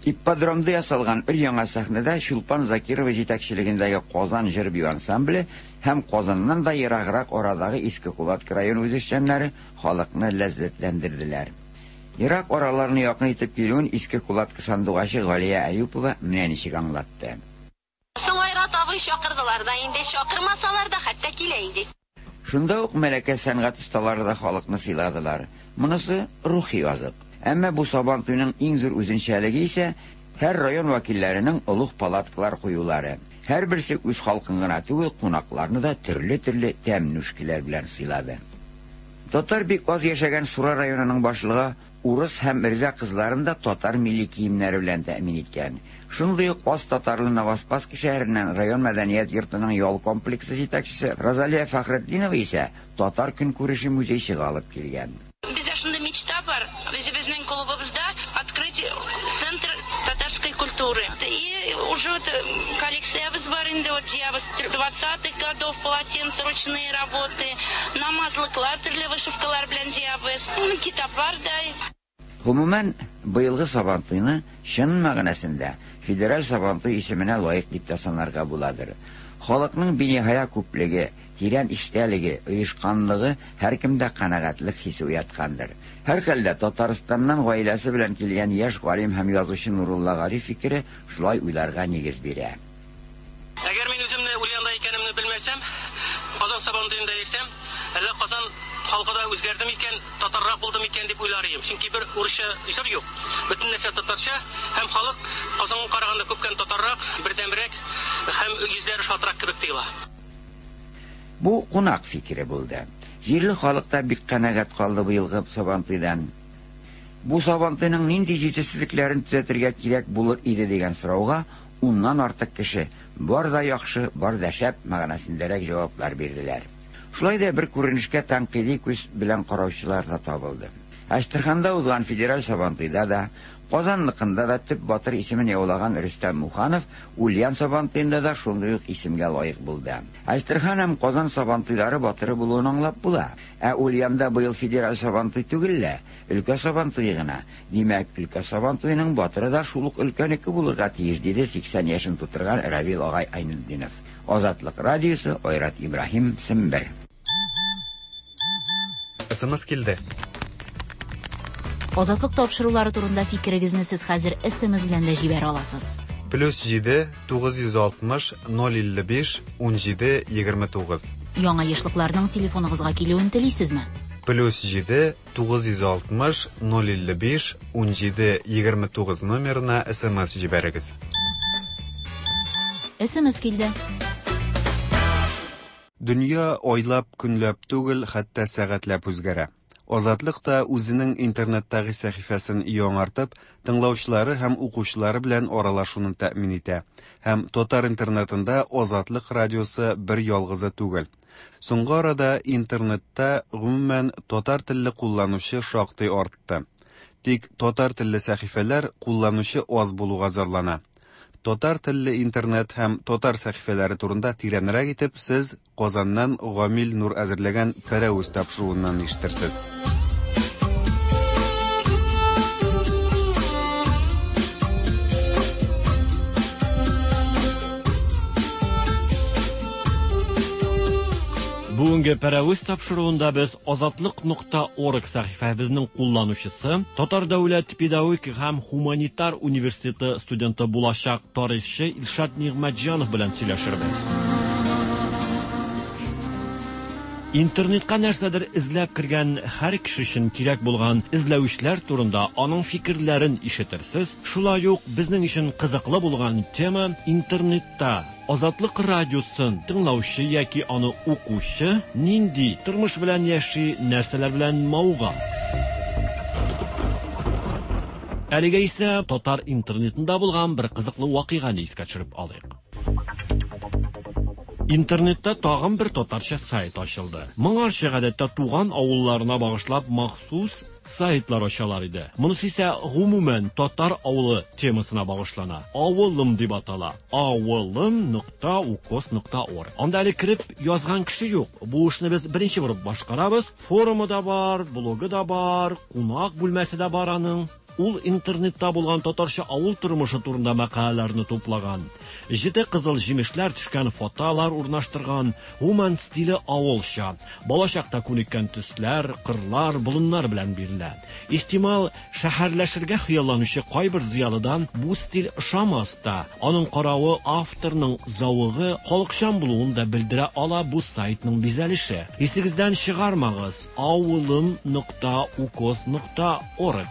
Ипподромда ясалган өр-яңа сәхнәдә Чулпан Закирова җитәкчелегендәге Казан җыр бию ансамбле һәм Казаннан да ераграк арадагы Иске Кулатка районы үзешчәннәре халыкны ләззәтләндерделәр. Ерак араларны якын итеп килүен Иске Кулатка сандугачы Галия Әюпова менә ничек аңлатты. Соң Айрат абый чакырдылар да инде, чакырмасалар да хәтта килә идек. Шунда ук Мәләкә сәнгать осталары да халыкны сыйладылар. Монысы рухи азык. Әмма бу Сабантуйның иң зур үзенчәлеге исә һәр район вәкилләренең олуг палаткалар куюлары. Һәрберсе үз халкын гына түгел, кунакларны да төрле-төрле тәм-нүшкеләр белән сыйлады. Татар бик аз яшәгән Сура районының башлыгы урыс һәм мирза кызларын да татар милли киемнәре белән тәэмин иткән. Шундый ук аз татарлы Новоспасский шәһәреннән район мәдәният йортының ял комплексы җитәкчесе Розалия Фәхретдинова исә татар көнкүреше музейчыгы алып килгән. Бездә шундый мечта бар, үзебезнең клубыбызда открыть центр татарской культуры. И уже вот коллекциябыз бар инде, вот җыябыз двадцатых годов полотенца, ручные работы, намазлыклар, төрле вышивкалар белән җыябыз, китаплар да. Гомумән, быелгы Сабантуйны чын мәгънәсендә федераль Сабантуй исеменә лаек дип тә санарга буладыр. Халыкның биниһая күплеге, тирән эчтәлеге, оешканлыгы һәркемдә канәгатьлек хисе уяткандыр. Һәрхәлдә Татарстаннан гаиләсе белән килгән яшь галим һәм язучы Нурулла Гариф фикере шулай уйларга нигез бирә. Әгәр мин үземне Ульянда икәнемне белмәсәм, Казан Сабантуенда йөрсәм, әллә Казан халкы да үзгәрде микән, татаррак булды микән дип уйлар идем. Чөнки бер урысча җыр юк. Бөтен нәрсә татарча, һәм халык Казанга караганда күпкә татаррак, бердәмрәк һәм йөзләре шатрак кебек тоела. Бу кунак фикере булды. Җирле халык та бик канәгать калды быелгы Сабантуйдан. Бу Сабантуйның нинди җитешсезлекләрен төзәтергә кирәк булыр иде дигән сорауга уннан артык кеше бар да яхшы, бар да шәп мәгънәсендәрәк җаваплар бирделәр. Шулай да бер күренешкә тәнкыйди күз белән караучылар да табылды. Әстерханда узган федераль Сабантуйда да, Казанныкында да төп батыр исемен яулаган Рөстәм Муханов Ульян Сабантуенда да шундый ук исемгә лаек булды. Әстерхан һәм Казан Сабантуйлары батыры булуын аңлап була. Ә Ульянда быел федераль Сабантуй түгел лә, өлкә Сабантуе гына. Димәк, өлкә Сабантуеның батыры да шул ук өлкәнеке булырга тиеш, диде сиксән яшен тутырган Равил агай Айнетдинов. Азатлык радиосы, Айрат Ибраһим, Сембер. СМС килде. Азатлык тапшырулары турында фикерегезне сез хәзер СМС белән дә җибәрә аласыз. Плюс җиде тугыз йөз алтмыш ноль илле биш ун җиде егерме тугыз. Яңа ешлыкларның телефоныгызга килүен телисезме? Плюс җиде тугыз йөз алтмыш ноль илле биш ун җиде егерме тугыз номерына СМС җибәрегез. СМС килде. Дөнья айлап, көнләп түгел, хәтта сәгатьләп үзгәрә. Азатлык та үзенең интернеттагы сәхифәсен яңартып, тыңлаучылары һәм укучылары белән аралашуны тәэмин итә. Һәм татар интернетында Азатлык радиосы бер ялгызы түгел. Соңгы арада интернетта гомумән татар телле кулланучы шактый артты. Тик татар телле сәхифәләр кулланучы аз булуга зарлана. Татар телле интернет һәм татар сәхифәләре турында тирәнрәк итеп сез Казаннан Гамил Нур әзерләгән Пәрәвез тапшыруыннан ишетерсез. Бүгенге Пәрәвез тапшыруында без Азатлык нокта орг сәхифәбезнең кулланучысы, Татар дәүләт педагогик һәм гуманитар университеты студенты булачак тарихчы Илшат Нигъмәтҗанов белән сөйләшербез. Интернетка нәрсәдер эзләп кергән һәр кеше өчен кирәк булган эзләүчеләр турында аның фикерләрен ишетерсез. Шулай ук безнең өчен кызыклы булган тема интернетта Азатлык радиосын тыңлаучы яки аны укучы нинди тормыш белән яши, нәрсәләр белән мавыга. Әлегә исә татар интернетында булган бер кызыклы вакыйганы искә төшереп алыйк. Интернетта тагын бер татарча сайт ачылды. Моңарчы гадәттә туган авылларына багышлап махсус сайтлар ачалар иде. Монысы исә гомумән татар авылы темасына багышлана. Авылым дип атала. Авылым нокта укос нокта орг. Анда әле кереп язган кеше юк. Бу эшне без беренче булып башкарабыз. Форумы да бар, блогы да бар, кунак бүлмәсе дә бар аның. Ул интернетта булган татарча авыл тормышы турында мәкаләләрне туплаган. Җете кызыл җимешләр төшкән фотолар урнаштырган. Гомумән стиле авылча. Балачакта күнеккән төсләр, кырлар, болыннар белән бирелә. Ихтимал, шәһәрләшергә хыялланучы кайбер зыялыдан бу стиль ошамас та. Аның каравы авторның зәвыгы халыкчан булуын да белдерә ала бу сайтның бизәлеше. Исегездән чыгармагыз. Авылым нокта укос нокта орг.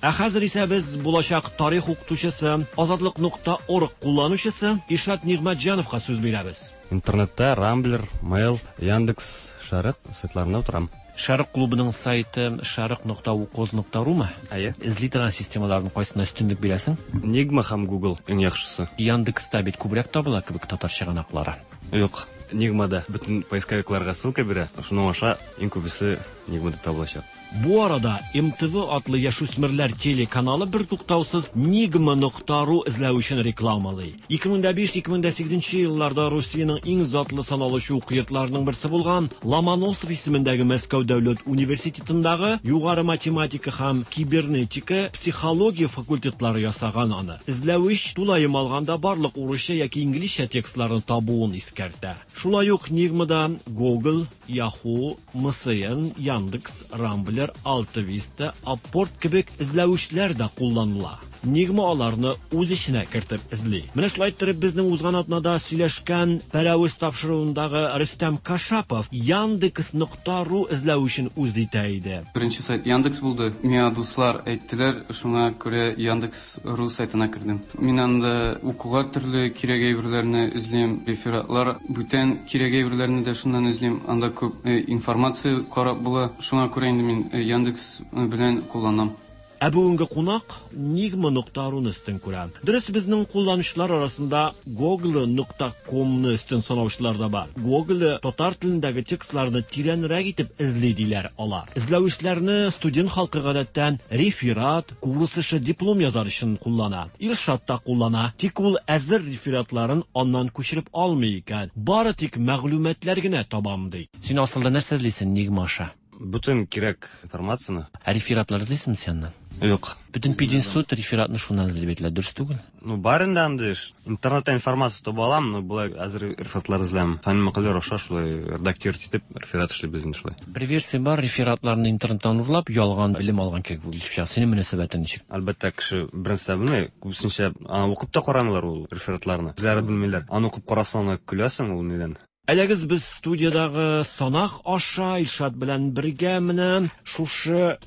Ә хәзер исә без булачак тарих укытучысы, Азатлык нокта орг кулланучысы Илшат Нигъмәтҗановка сүз бирәбез. Интернетта Рамблер, Mail, Яндекс, Шәрык сайтларында утырам. Шәрык клубының сайты шәрык нокта укоз нокта румы? Әйе. Эзли торган системаларның кайсына өстенлек бирәсең? Нигма һәм Google иң яхшысы. Яндекста бит күбрәк табыла кебек татар чыганаклары. Юк, Нигмада бөтен поисковикларга ссылка бирә. Шуның аша иң күбесе Нигмада табылачак. Бу арада эм тэ вэ атлы яшүсмерләр телеканалы бер туктаусыз Нигма нокта ру эзләү өчен рекламалый. ике мең дә биш - ике мең дә сигезенче елларда Русиянең иң затлы саналучы уку йортларының берсе булган Ломоносов исемендәге Мәскәү дәүләт университетындагы югары математика һәм кибернетика, психология факультетлары ясаган аны. Эзләвеч тулаем алганда барлык урысча яки инглизчә текстларны табуын искәртә. Шулай ук Нигмада Google, Yahoo, эм эс эн, Яндекс, Рамблер, Алтависта, Апорт кебек эзләүчләр дә кулланыла. Нигма аларны үз эченә кертеп эзли. Менә шулай иттереп безнең узган атнада сөйләшкән Пәрәвез тапшыруындагы Рөстәм Кашапов Яндекс нокта ру эзләү өчен үз итә иде. Беренче сайт Яндекс булды. Миңа дуслар әйттеләр, шуңа күрә Яндекс ру сайтына кердем. Мин анда укуга төрле кирәк әйберләрне эзлим, рефератлар, бүтән кирәк әйберләрне дә шуннан эзлим. Анда күп информация карап була. Шуңа күрә инде мин Яндекс белән кулланам. Ә бүгенге кунак Нигма нокта руны өстен күрә. Дөрес, безнең кулланучылар арасында Google нокта комны өстен санаучылар да бар. Google татар телендәге текстларны тирәнрәк итеп эзли диләр алар. Эзләүчеләрне студент халкы гадәттән реферат, курс эше, диплом язар өчен куллана. Илшат та куллана. Тик ул әзер рефератларын аннан күчереп алмый икән. Бары тик мәгълүматлар генә табам ди. Син асылда нәрсә эзлисең Нигма аша? Бөтен кирәк информацияне. Ә рефератлар эзлисеңме син аннан? Юк. Бөтен пединститут рефератны шуннан эзли бит, дөрес түгел? Ну, бар инде андый эш. Интернетта информация таба алам, но болай әзер рефератлар эзләм. Фәнни мәкаләләр аша шулай редактировать итеп реферат эшлибез инде шулай. Бер версия бар, рефератларны интернеттан урлап, ялган белем алган кебек булып чыга. Синең мөнәсәбәтең ничек? Әлбәттә, кеше беренче белми, күбесенчә аны укып та карамыйлар ул рефератларны. Үзләре белмиләр. Аны укып карасаң, аны көләсең ул нидән. Әлегез без студиядагы санак аша Илшат белән бергә менә шушы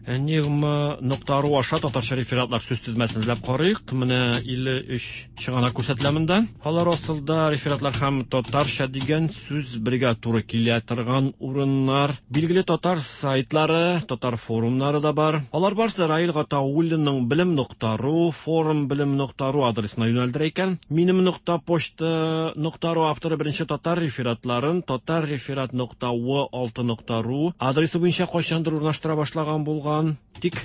Нигма нокта ру аша татарча рефератлар сүз тезмәсен эзләп карыйк. Менә илле өч чыганак күрсәтелә монда. Алар асылда рефератлар һәм татарча дигән сүз бергә туры килә торган урыннар. Билгеле татар сайтлары, татар форумнары да бар. Алар барсы Раил Гатауллинның белем нокта ру, форум белем нокта ру адресына юнәлдерә икән. Минем нокта почта нокта ру авторы беренче татар рефератларын татар реферат нокта в алты нокта ру адресы буенча кайчандыр урнаштыра башлаган булган. Тик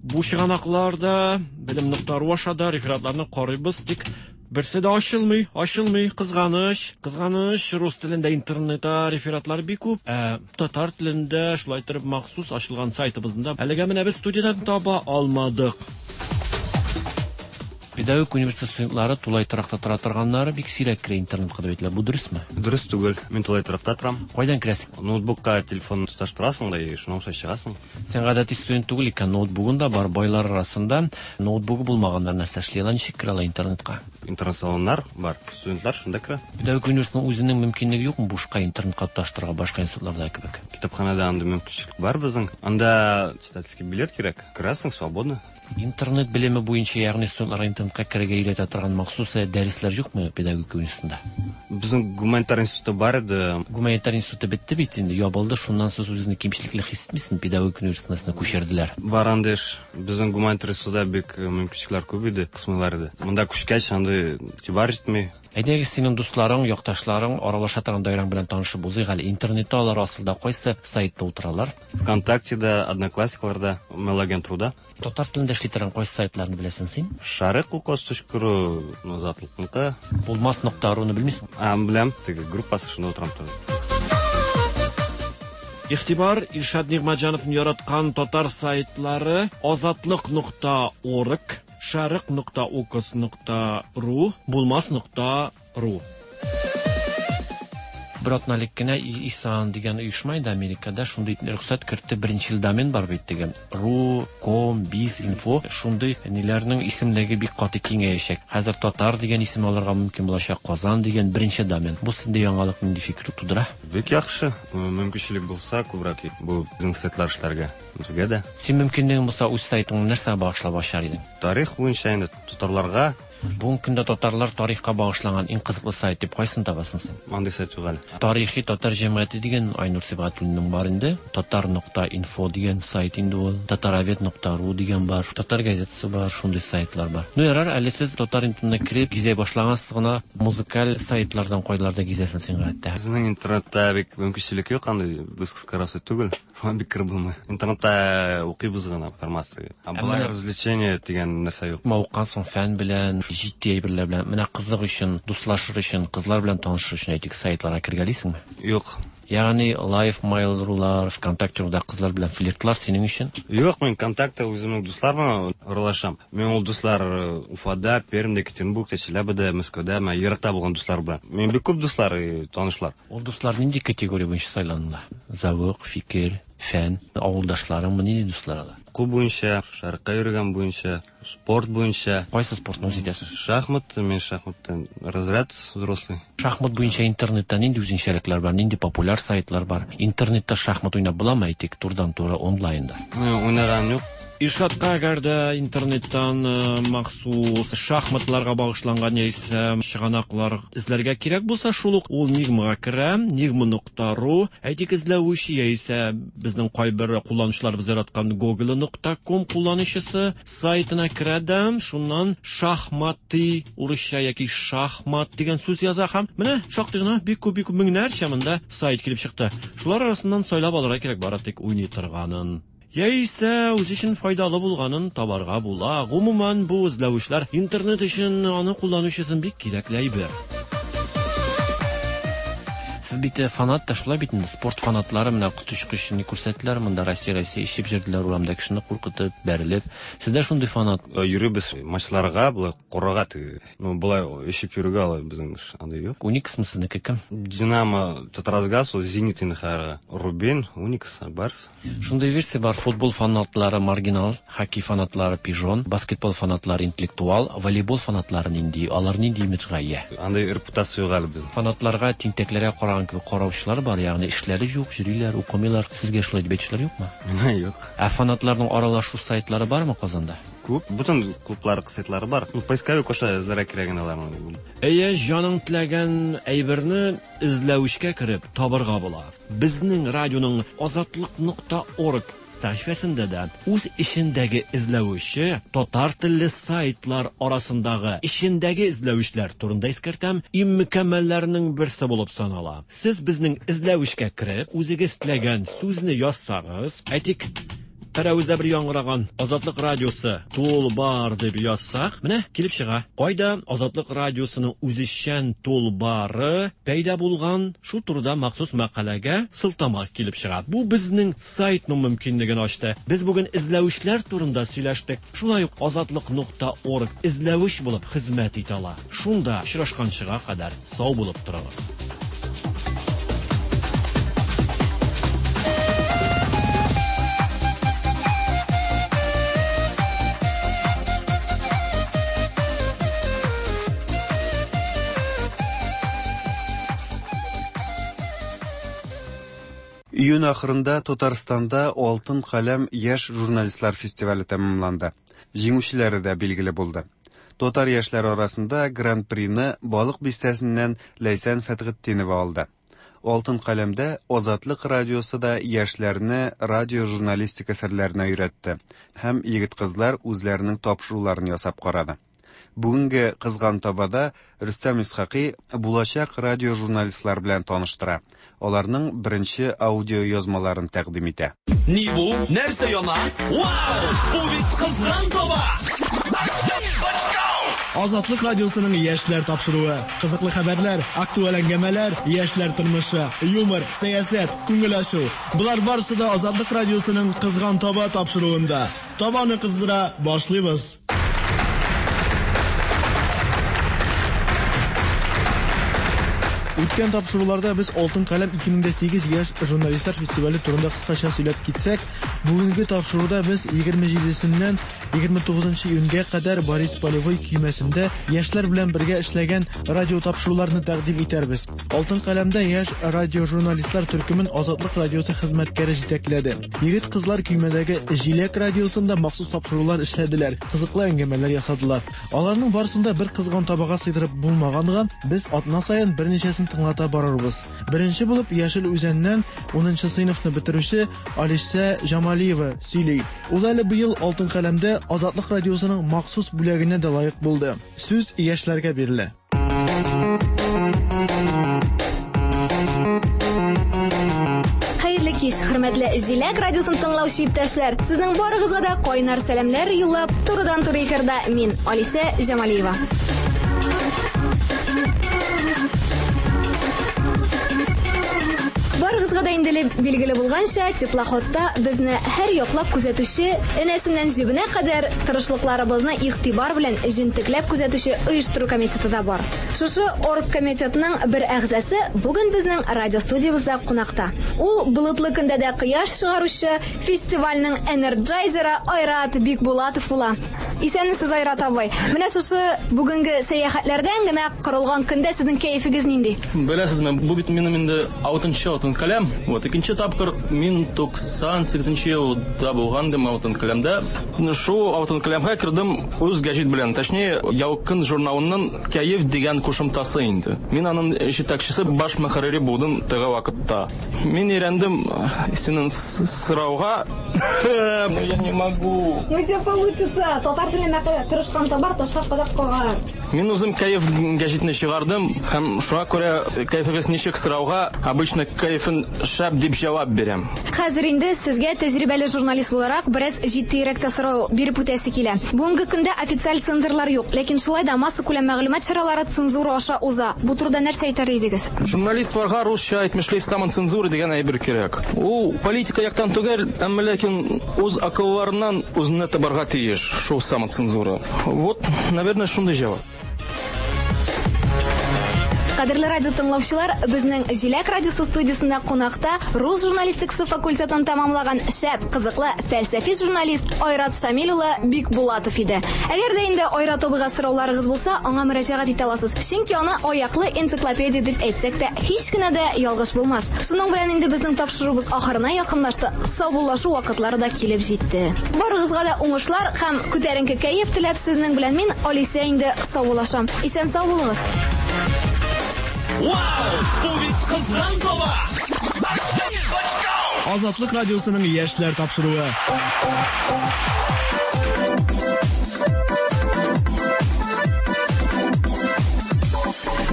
бу чыганакларда белем нокта ру аша да рефератларны карыйбыз, тик берсе дә ачылмый, ачылмый, кызганыч, кызганыч, рус телендә интернетта рефератлар бик күп, ә татар телендә шулай итеп махсус ачылган сайтыбызда әлегә менә без студиядан таба алмадык. Педагогик университет студентлары тулай торакта тора торганнары бик сирәк керә интернетка дип әйтелә. Бу дөресме? Дөрес түгел. Мин тулай торакта торам. Кайдан керәсең? Ноутбукка телефон тоташтырасың да, и шуның аша чыгасың. Син гадәти студент түгел икән, ноутбугың да бар. Байлар арасында ноутбугы булмаганнар нәрсә эшли ала, ничек керә ала интернетка? Интернет-салоннар бар. Студентлар шунда керә. Педагогик университетның үзенең мөмкинлеге юкмы бушка интернетка тоташтырырга башка институтларда кебек? Китапханада андый мөмкинчелек бар безнең. Анда читательский билет кирәк. Керәсең свободно. Интернет белеме буенча, ягъни студентларга интернетка керергә өйрәтә торган махсус дәресләр юкмы педагогика университетында? Безнең гуманитар институты бар иде. Гуманитар институты бетте бит инде, ябылды. Шуннан соң үзеңне кимчелекле хис итмисеңме? Педагогика университетына күчерделәр. Бар андый эш. Безнең гуманитар институтта бик мөмкинчелекләр күп иде, кысмыйлар иде. Монда күчкәч андый игътибар җитми. Әйдәгез, синең дусларың, якташларың, аралаша торган даирәң белән танышып узыйк әле. Интернетта алар асылда кайсы сайтта утыралар? ВКонтактеда, Одноклассникларда, Mail-агент.руда. Татар телендә эшли торган кайсы сайтларны беләсең син? Шарык укос точка ру, Азатлыкныкы. Булмас нокта руны белмисең? А, беләм, теге группасы шунда утырам тоже. Игътибар, Илшат Нигъмәтҗановны яраткан татар сайтлары Азатлык нокта орг, Шарык нокта укос нокта ру, Булмас нокта ру. Бер атна элек кенә ИСАН дигән оешма инде Америкада шундый рөхсәт кертте, беренче ел домен бар бит дигән. Ру, ком, биз, инфо шундый ниләрнең исемлеге бик каты киңәячәк. Хәзер татар дигән исем алырга мөмкин булачак, Казан дигән беренче домен. Бу синдә яңалык нинди фикер тудыра? Бик яхшы. Мөмкинчелек булса, күбрәк бу безнең сайтлар эшләргә. Безгә дә. Син мөмкинлегең булса, үз сайтыңны нәрсәгә багышлап ачар идең? Тарих буенча инде татарларга. Бүгенге көндә татарлар тарихка багышланган иң кызыклы сайт дип кайсын табасың син? Андый сайт юк әле. Тарихи татар җәмгыяте дигән Айнур Сибгатуллинның бар инде. Татар нокта инфо дигән сайт инде ул. Татаровед нокта ру дигән бар. Татар газетасы бар, шундый сайтлар бар. Ну ярар, әле сез татар интернетына кереп гизә башлагансыз гына музыкаль сайтлардан кайларда гизәсең син гадәттә? Безнең интернетта бик мөмкинчелек юк, андый без кыскарасы түгел. Шуңа бик кереп булмый. Интернетта укыйбыз гына информация. Ә болай развлечение дигән нәрсә юк. Мавыккан соң фән белән, җитди әйберләр белән, менә кызык өчен, дуслашыр өчен, кызлар белән танышыр өчен әйтик сайтларга кергәлисеңме? Юк. Ягъни Live Mail.ru-лар, ВКонтакте.руда кызлар белән флиртлар синең өчен? Юк, мин ВКонтакте үземнең дуслар белән аралашам. Мин ул дуслар Уфада, Пермьдә, Екатеринбургта, Челябида, Мәскәүдә, мен еракта булган дуслар белән. Мин бик күп дуслар, танышлар. Ул дуслар нинди категория буенча сайланыла? Завык, фикер, фән, авылдашларыңмы, нинди дуслар алар? Уку буенча, шәрыкка йөргән буенча, спорт буенча. Кайсы спортны үз итәсең? Шахмат, мин шахматтан разряд взрослый. Шахмат буенча интернетта нинди үзенчәлекләр бар, нинди популяр сайтлар бар? Интернетта шахмат уйнап буламы, әйтик, турдан-тура онлайнда? Уйнаган юк. Илшатка әгәр дә интернеттан махсус шахматларга багышланган яисә чыганаклар эзләргә кирәк булса, шул ук ул Нигмага керә, нигма нокта ру, әйтик, эзләүче яисә безнең кайбер кулланучыларыбыз яраткан Google нокта ком кулланучысы сайтына керә дә, шуннан шахматы урысча яки шахмат дигән сүз яза һәм менә шактый гына бик күп, бик күп меңнәрчә монда сайт килеп чыкты. Шулар арасыннан сайлап алырга кирәк, бары тик уйный торганын яисә үз өчен файдалы булганын табарга була. Гомумән, бу эзләүчеләр интернет өчен, аны кулланучы өчен бик кирәкле әйбер. Сез бит фанат та шулай бит инде, спорт фанатлары менә коточкыч ни күрсәттеләр монда, Россия, Россия ишеп йөрделәр урамда кешене куркытып, бәрелеп. Сездә шундый фанат? Йөрибез матчларга, болай карарга теге. Ну, болай ишеп йөрергә алай безнең андый юк. Униксмы сезнеке кем? Динамо, Татаргаз, ул Зенит инде хәзер. Рубин, Уникс, Барс. Шундый версия бар: футбол фанатлары маргинал, хоккей фанатлары пижон, баскетбол фанатлары интеллектуал, волейбол фанатлары нинди? Алар нинди имиджга ия? Андый репутация юк әле безнең. Фанатларга, тинтәкләргә караган кебек караучылар бар, ягъни эшләре юк, йөриләр, укымыйлар. Сезгә шулай дип әйтүчеләр юкмы? Миңа юк. Ә фанатларның аралашу сайтлары бармы Казанда? Күп, бүтән клублар сайтлары бар. Ну, поисковик аша эзләргә кирәк инде аларны. Әйе, җаның теләгән әйберне эзләүчкә кереп табырга була. Безнең радионың азатлык нокта орг сәхифәсендә дә үз эчендәге эзләүче татар телле сайтлар арасындагы эчендәге эзләүчләр турында искәртәм, иң мөкәммәлләрнең берсе булып санала. Сез безнең эзләүчкә кереп, үзегез теләгән сүзне язсагыз, әйтик, Пәрәвездә бер яңгыраган Азатлык радиосы тулбар дип язсак, менә килеп чыга. Кайда Азатлык радиосының үзешчән тулбары пәйда булган, шул турыда махсус мәкаләгә сылтама килеп чыга. Бу безнең сайтның мөмкинлеген ачты. Без бүген эзләүчләр турында сөйләштек. Шулай ук азатлык нокта орг эзләүч булып хезмәт итә ала. Шунда очрашканчыга кадәр сау булып торыгыз. Июнь ахырында Татарстанда Алтын каләм яшь журналистлар фестивале тәмамланды. Җиңүчеләре дә билгеле булды. Татар яшьләре арасында Гран-прины Балык бистәсеннән Ләйсән Фәтгетдинова алды. Алтын каләмдә Азатлык радиосы да яшьләрне радио журналистика серләренә өйрәтте һәм егет-кызлар үзләренең тапшыруларын ясап карады. Бүгенге Кызган табада Рөстәм Исхакый булачак радиожурналистлар белән таныштыра. Аларның беренче аудио язмаларын тәкъдим итә. Ни бу? Нәрсә яна? Вау! Бу бит Кызган таба! Азатлык радиосының яшьләр тапшыруы. Кызыклы хәбәрләр, актуаль әңгәмәләр, яшьләр тормышы, юмор, сәясәт, күңел ачу. Болар барысы да Азатлык радиосының Кызган таба тапшыруында. Табаны кыздыра башлыйбыз. Үткән тапшыруларда без Алтын каләм ике мең сигез яшь журналистлар фестивале турында кыскача сөйләп китсәк, бүгенге тапшыруда без егерме җидесеннән егерме тугызынчы июньгә кадәр Борис Полевой көймәсендә яшьләр белән бергә эшләгән радио тапшыруларны тәкъдим итәрбез. Алтын каләмдә яшь радиожурналистлар төркемен Азатлык радиосы хезмәткәре җитәкләде. Егет-кызлар көймәдәге Җиләк радиосында махсус тапшырулар эшләделәр, кызыклы әңгәмәләр ясадылар. Аларның барысын да бер кызган табага сыйдырып булмаганга, без атна саен берничәсен тыңлата барырбыз. Беренче булып Яшел Үзәннән унынчы сыйныфны бетерүче Алисә Җамалиева сөйли. Ул әле быел Алтын каләмдә Азатлык радиосының махсус бүләгенә дә лаек булды. Сүз яшьләргә бирелә. Хәерле кич, хөрмәтле Җиләк радиосын тыңлаучы иптәшләр. Сезнең барыгызга да кайнар сәламләр юллап, турыдан-туры эфирда мин, Алисә Җамалиева. Барыгызга да инде билгеле булганча, теплоходта безне һәр яклап күзәтүче, энәсеннән җебенә кадәр тырышлыкларыбызны игътибар белән җентекләп күзәтүче оештыру комитеты да бар. Шушы оргкомитетның бер әгъзасы бүген безнең радио студиябездә кунакта. Ул болытлы көндә дә кояш чыгаручы фестивальнең энерджайзеры Айрат Бикбулатов була. Исәнмесез, Айрат абый. Менә шушы бүгенге сәяхәтләрдән генә корылган көндә сезнең кәефегез нинди? Беләсезме, бу бит минем инде алтынчы алтын каләм. Вот икенче тапкыр мин туксан сигезенче елда булган идем алтын каләмдә. Шу алтын каләмгә кердем үз гәҗит белән, точнее, Ялкын журналының Кәеф дигән кушымтасы инде. Мин аның җитәкчесе, баш мөхәррире булдым теге вакытта. Мин өйрәндем синең сорауга. Я не могу. Ну все получится. Татар теленә тырышкан табар, ташка кадак кагар. Мин үзем Кәеф гәҗитне чыгардым һәм шуңа күрә кәефегез ничек сорауга обычно кәефен шәп дип җавап бирәм. Хәзер инде сезгә тәҗрибәле журналист буларак бераз җитдирәк тә сорау биреп үтәсе килә. Бүгенге көндә официаль цензорлар юк, ләкин шулай да массакүләм мәгълүмат чаралары цензура аша уза. Бу турыда нәрсә әйтер идегез? Журналистларга русча әйтмешли самоцензура дигән әйбер кирәк. Ул политика яктан түгел, әмма ләкин үз акылларыннан үзенә табарга тиеш шул самоцензура. Вот, наверное, шундый җавап. Кадерле радио тыңлаучылар, безнең Җиләк радиосы студиясендә кунакта рус журналистикасы факультетын тәмамлаган шәп, кызыклы, фәлсәфи журналист Айрат Шамил улы Бикбулатов иде. Әгәр дә инде Айрат абыйга сорауларыгыз булса, аңа мөрәҗәгать итә аласыз. Чөнки аны аяклы энциклопедия дип әйтсәк тә, һич кенә дә ялгыш булмас. Шуның белән инде безнең тапшыруыбыз ахырына якынлашты. Саубуллашу вакытлары да килеп җитте. Барыгызга да уңышлар һәм күтәренке кәеф теләп сезнең белән мин, Алисә, инде саубуллашам. Исән сау булыгыз. Вау! Бу бит Кызган таба! Азатлык радиосының яшьләр тапшыруы.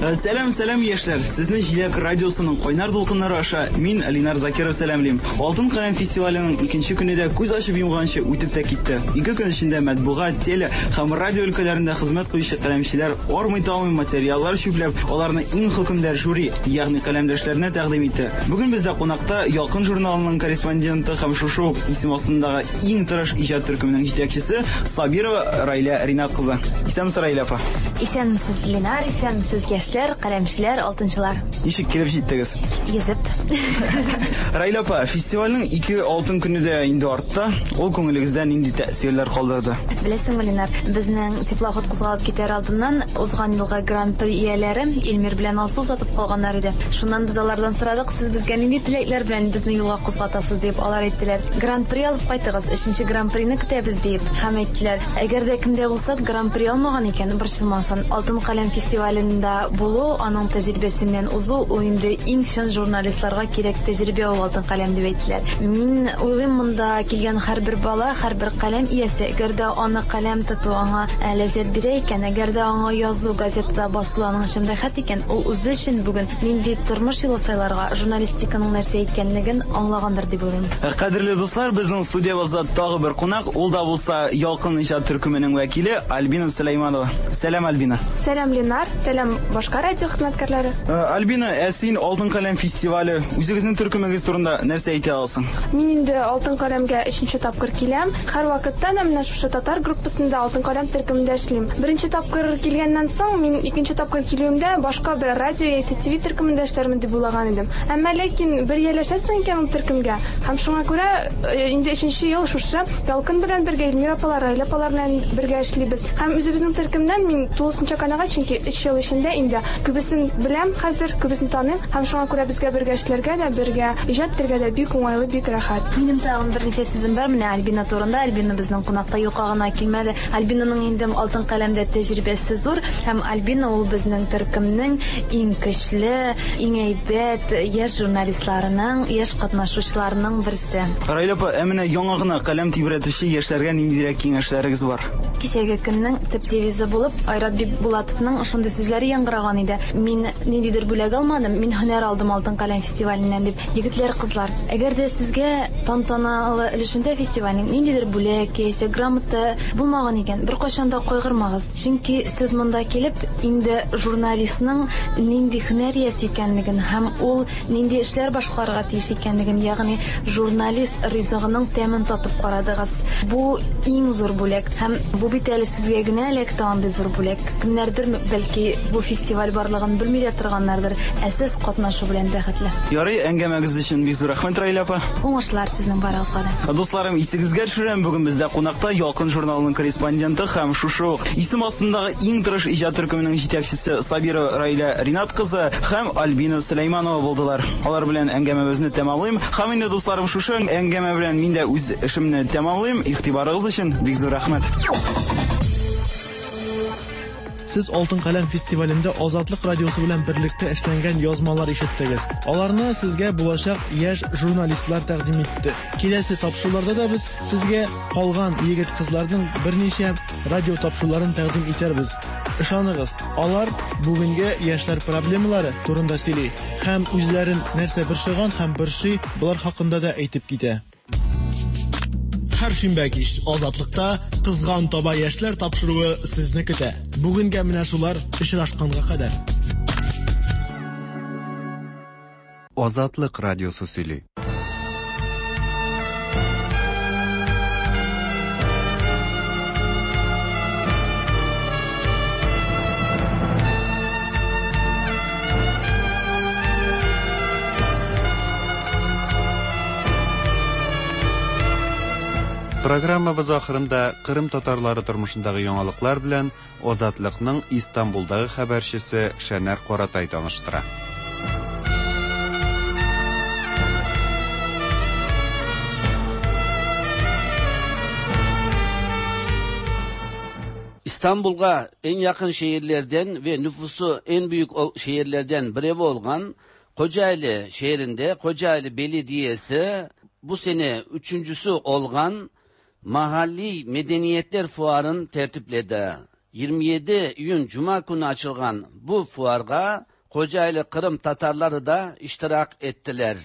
Сәлам, сәлам, яшьләр! Сезне Җиләк радиосының кайнар дулкыннары аша мин, Линар Закиров, сәламлим. Алтын каләм фестиваленең икенче көне дә күз ачып йомганчы үтеп тә китте. Ике көн эчендә матбугат, теле һәм радио өлкәләрендә хезмәт куючы каләмчеләр армый-талмый материаллар чүпләп, аларны иң хөкемдар жюри, ягъни каләмдәшләренә тәкъдим итте. Бүген бездә кунакта Ялкын журналының корреспонденты һәм шушы ук исем астындагы иң тырыш иҗат төркеменең җитәкчесе Сабирова Райлә Ринат кызы. Исәнмесез, Райлә апа. Исәнмесез, Линар, исәнмесез, яшьләр, каләмчеләр, алтынчылар. Ничек килеп җиттегез? Йөзеп. Райлә апа, фестивальнең ике алтын көне дә инде артта. Ул күңелегездә нинди тәэсирләр калдырды? Беләсеңме, Линар, безнең теплоход кузгалып китәр алдыннан узган елгы гран-при ияләре Илмир белән Алсу сатып калганнар иде. Шуннан без алардан сорадык, сез безгә нинди теләкләр белән безне юлга кузгатасыз дип, алар әйттеләр. Гран-при алып кайтыгыз, өченче гран-прины көтәбез дип. Һәм әйттеләр, әгәр дә кемдә булса гран-при алмаган икән, борчылмасын. Алтын каләм фестивалендә булу, аның тәҗрибәсеннән узу, ул инде иң чын журналистларга кирәк тәҗрибә ул Алтын каләм дип әйттеләр. Мин уйлыйм, монда килгән һәрбер бала, һәрбер каләм иясе, әгәр дә аны каләм тоту аңа ләззәт бирә икән, әгәр дә аңа язу, газетада басу аның өчен рәхәт икән, ул үзе өчен бүген нинди тормыш юлы сайларга, журналистиканың нәрсә икәнлеген аңлагандыр дип уйлыйм. Кадерле дуслар, безнең студиябызда тагы бер кунак, ул да булса Ялкын иҗат төркеменең вәкиле Альбина Сөләйманова. Сәлам, Альбина. Сәлам, Ленар. Сәлам, башка радио хезмәткәрләре. Альбина, ә син Алтын каләм фестивале, үзегезнең төркемегез турында нәрсә әйтә аласың? Мин инде Алтын каләмгә өченче тапкыр киләм. Һәр вакытта да менә шушы татар группасында Алтын каләм төркемендә эшлим. Беренче тапкыр килгәннән соң, мин икенче тапкыр килүемдә башка бер радио яисә Т В төркемендә эшләрмен дип уйлаган идем. Әмма ләкин бер ияләшәсең икән ул төркемгә. Һәм шуңа күрә инде өченче ел шушы Ялкын белән бергә, Эльмира апалар, Раилә апалар белән бергә эшлибез. Һәм үзебезнең төркемнән мин тулысынча канәгать, чөнки өч ел эчендә инде күбесен беләм хәзер, күбесен таныйм. Һәм шуңа күрә безгә бергә эшләргә дә, бергә иҗат итәргә дә бик уңайлы, бик рәхәт. Минем тагын берничә сүзем бар менә Альбина турында. Альбина безнең кунакта юкка гына килмәде. Альбинаның инде Алтын каләмдә тәҗрибәсе зур, һәм Альбина ул безнең төркемнең иң көчле, иң әйбәт яшь журналистларының, яшь катнашучыларының берсе. Раилә апа, ә менә яңа гына каләм тибрәтүче яшьләргә ниндирәк киңәшләрегез бар? Кичәге көннең төп девизы булып Айрат Бикбулатовның шундый сүзләре яңгыраган иде. Мин ниндидер бүләк алмадым, мин һөнәр алдым Алтын каләм фестиваленнән дип. Егетләр, кызлар, әгәр дә сезгә тантаналы өлешендә фестивальнең ниндидер бүләк яисә грамота булмаган икән, беркайчан да кайгырмагыз. Чөнки сез монда килеп инде журналистның нинди һөнәр иясе икәнлеген һәм ул нинди эшләр башкарырга тиеш икәнлеген, ягъни журналист ризыгының тәмен татып карадыгыз. Бу иң зур бүләк, һәм бу бит әле сезгә генә эләкте андый зур бүләк. Кемнәрдер бәлки бу фестиваль барлыгын белми дә торганнардыр, ә сез катнашу белән бәхетле. Ярый, әңгәмәгез өчен бик зур рәхмәт, Раилә апа. Уңышлар сезнең барыгызга да. Дусларым, исегезгә төшерәм, бүген бездә кунакта Ялкын журналының корреспонденты һәм шушы ук исем астындагы иң тырыш иҗат төркеменең җитәкчесе Сабира Раилә Ринат кызы һәм Альбина Сөләйманова булдылар. Алар белән әңгәмәбезне тәмамлыйм. Һәм инде, дусларым, шушы әңгәмә белән мин дә үз эшемне тәмамлыйм. Игътибарыгыз өчен бик зур рәхмәт. Сез Алтын каләм фестивалендә Азатлык радиосы белән берлектә эшләнгән язмалар ишеттегез. Аларны сезгә булачак яшь журналистлар тәкъдим итте. Киләсе тапшыруларда да без сезгә калган егет-кызларның берничә радио тапшыруларын тәкъдим итәрбез. Ышаныгыз, алар бүгенге яшьләр проблемалары турында сөйли һәм үзләрен нәрсә борчыган һәм борчый, болар хакында да әйтеп китә. Һәр шимбә кич Азатлыкта Кызган таба яшьләр тапшыруы сезне көтә. Бүгенгә менә шулар, очрашканга кадәр. Азатлык радиосы сөйли. Программабыз ахырында Кырым татарлары тормышындагы яңалыклар белән Азатлыкның Истанбулдагы хәбәрчесе Шәнәр Каратай таныштыра. İstanbul'a en yakın şehirlerden ve nüfusu en büyük şehirlerden biri olan Kocaeli şehrinde Kocaeli Belediyesi bu sene üçüncüsü olan Mahalli Medeniyetler Fuarı'nı tertipledi. yirmi yedi İyun Cuma günü açılgan bu fuarga Kocaeli Kırım Tatarları da iştirak ettiler.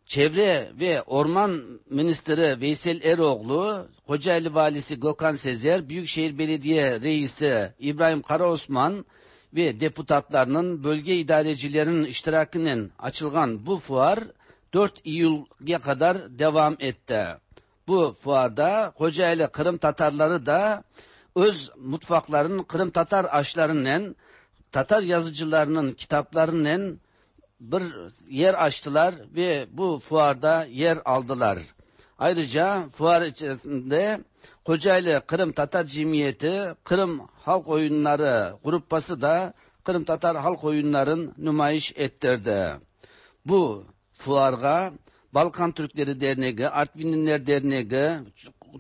Çevre ve Orman Ministri Veysel Eroğlu, Kocaeli Valisi Gökhan Sezer, Büyükşehir Belediye Reisi İbrahim Karaosman ve deputatlarının, bölge idarecilerinin iştirakinin açılgan bu fuar dört Eylül'e kadar devam etti. Bu fuarda Kocaeli Kırım Tatarları da öz mutfaklarının Kırım Tatar aşlarından, Tatar yazıcılarının kitaplarından bir yer açtılar ve bu fuarda yer aldılar. Ayrıca fuar içerisinde Kocaeli Kırım Tatar Cemiyeti, Kırım Halk Oyunları grupası da Kırım Tatar Halk Oyunlarını nümayiş ettirdi. Bu fuarga Balkan Türkleri Derneği, Artvinliler Derneği,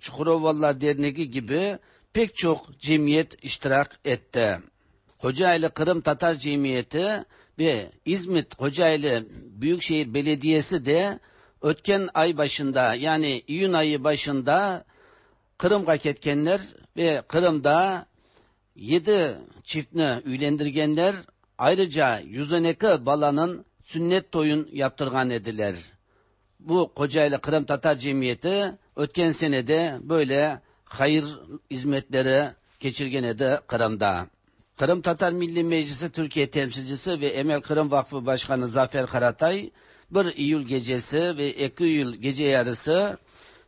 Çukurovalılar Derneği gibi pek çok cemiyet iştirak etti. Kocaeli Kırım Tatar Cemiyeti ve İzmit Kocaeli Büyükşehir Belediyesi de ötken ay başında, yani iyun ayı başında Kırım'a ketkenler ve Kırım'da yedi çiftini üylendirgenler, ayrıca yüz on iki balanın sünnet toyun yaptırgan ediler. Bu Kocaeli Kırım Tatar Cemiyeti ötken senede böyle hayır hizmetleri geçirgen edi Kırım'da. Kırım Tatar Milli Meclisi Türkiye temsilcisi ve Emel Kırım Vakfı Başkanı Zafer Karatay bir Eylül gecesi ve iki Eylül gece yarısı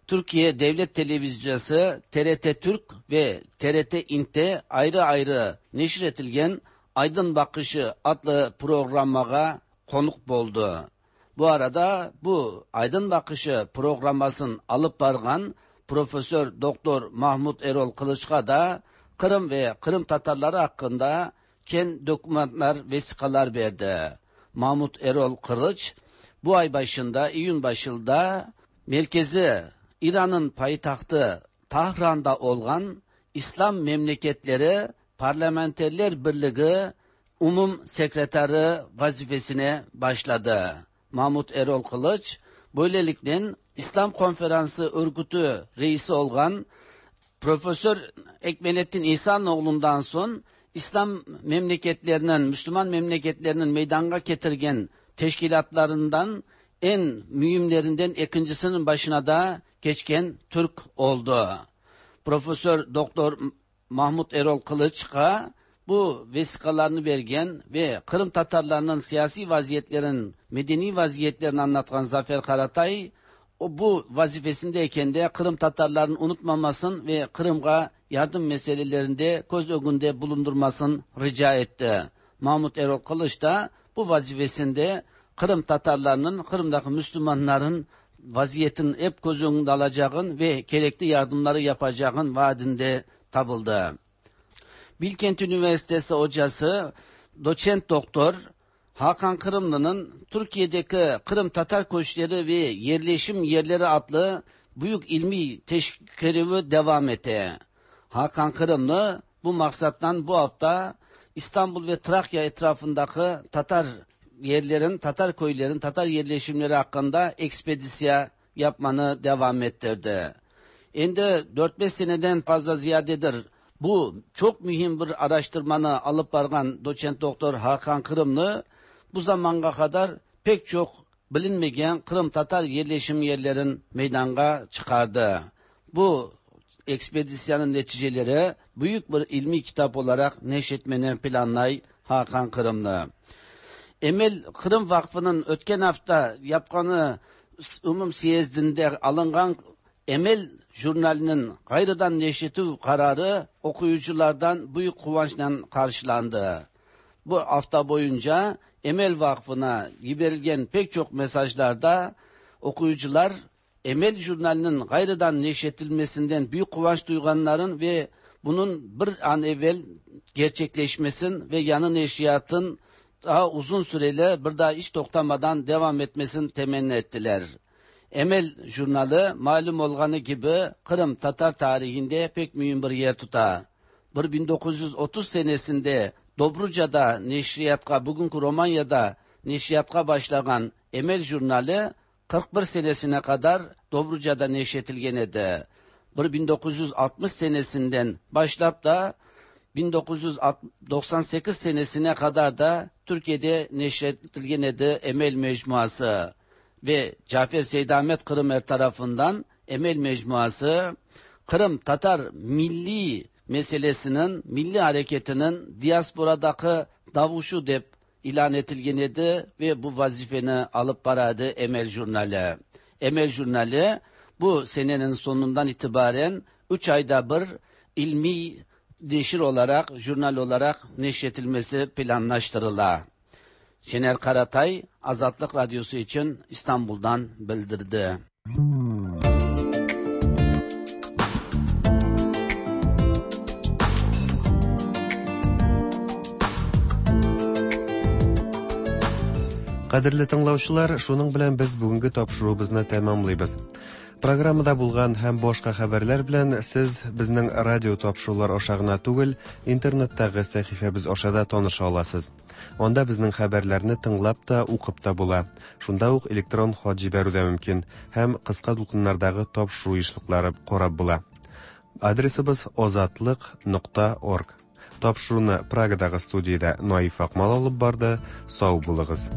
Türkiye Devlet Televizyonu T R T Türk ve T R T İNT'te ayrı ayrı neşretilgen Aydın Bakışı adlı programağa konuk boldu. Bu arada bu Aydın Bakışı programmasını alıp bargan Profesör Doktor Mahmut Erol Kılıç'a da Kırım ve Kırım Tatarları hakkında ken dokümanlar, vesikalar verdi. Mahmut Erol Kılıç bu ay başında, iyun başında merkezi İran'ın payitahtı Tahran'da olan İslam Memleketleri Parlamenterler Birliği Umum Sekreteri vazifesine başladı. Mahmut Erol Kılıç böylelikle İslam Konferansı Örgütü reisi olan Profesör Ekmelettin İhsanoğlu'ndan son İslam memleketlerinin, Müslüman memleketlerinin meydana getirgen teşkilatlarından en mühimlerinden ikincisinin başına da geçken Türk oldu. Profesör Doktor Mahmut Erol Kılıç'a bu vesikalarını vergen ve Kırım Tatarlarının siyasi vaziyetlerin, medeni vaziyetlerini anlatan Zafer Karatay, o bu vazifesindeyken de Kırım Tatarlarının unutmamasın ve Kırım'a yardım meselelerinde göz önünde bulundurmasın rica etti. Mahmut Erol Kılıç da bu vazifesinde Kırım Tatarlarının, Kırım'daki Müslümanların vaziyetin hep göz önünde alacağın ve gerekli yardımları yapacağın vaadinde tabıldı. Bilkent Üniversitesi hocası doçent doktor Hakan Kırımlı'nın Türkiye'deki Kırım Tatar Köşkleri ve Yerleşim Yerleri adlı büyük ilmi teşkilatı devam etti. Hakan Kırımlı bu maksattan bu hafta İstanbul ve Trakya etrafındaki Tatar yerlerin, Tatar köylerin, Tatar yerleşimleri hakkında ekspedisiya yapmanı devam ettirdi. Şimdi dört beş seneden fazla ziyadedir bu çok mühim bir araştırmanı alıp bargan doçent doktor Hakan Kırımlı bu zamana kadar pek çok bilinmeyen Kırım Tatar yerleşim yerlerin meydana çıkardı. Bu ekspedisyanın neticeleri büyük bir ilmi kitap olarak neşretmeni planlay Hakan Kırımlı. Emel Kırım Vakfı'nın ötken hafta yapqanı umum siyezdinde alıngan Emel jurnalinin gayrıdan neşretüv kararı okuyuculardan büyük kıvançla karşılandı. Bu hafta boyunca Emel Vakfı'na giberilgen pek çok mesajlarda okuyucular Emel jurnalinin gayrıdan neşretilmesinden büyük kıvanç duyganların ve bunun bir an evvel gerçekleşmesin ve yanı neşriyatın daha uzun süreli bir daha hiç toktamadan devam etmesini temenni ettiler. Emel jurnalı malum olganı gibi Kırım Tatar tarihinde pek mühim bir yer tutar. bin dokuz yüz otuz senesinde Dobruca'da neşriyatka, bugünkü Romanya'da neşriyatka başlayan Emel jurnalı kırk bir senesine kadar Dobruca'da neşretilgen edi. bin dokuz yüz altmış senesinden başlap da bin dokuz yüz doksan sekiz senesine kadar da Türkiye'de neşretilgen edi Emel Mecmuası ve Cafer Seydamet Kırımer tarafından Emel Mecmuası Kırım Tatar milli meselesinin, milli hareketinin diasporadaki davuşu dep ilan etilgen edi ve bu vazifeni alıp baradı Emel Jurnali. Emel Jurnali bu senenin sonundan itibaren üç ayda bir ilmi neşir olarak, jurnal olarak neşretilmesi planlaştırıla. Şener Karatay, Azatlık Radyosu için İstanbul'dan bildirdi. Кадерле тыңлаучылар, шуның белән без бүгенге тапшыруыбызны тәмамлыйбыз. Программада булган һәм башка хәбәрләр белән сез безнең радио тапшырулар аша гына түгел, интернеттагы сәхифәбез аша да таныша аласыз. Анда безнең хәбәрләрне тыңлап та, укып та була. Шунда ук электрон хат җибәрү дә мөмкин һәм кыска дулкыннардагы тапшыру ешлыклары карап була. Адресыбыз озатлык нокта орг. Тапшыруны Прагадагы студиядә Наиф Акмал алып барды. Сау булыгыз.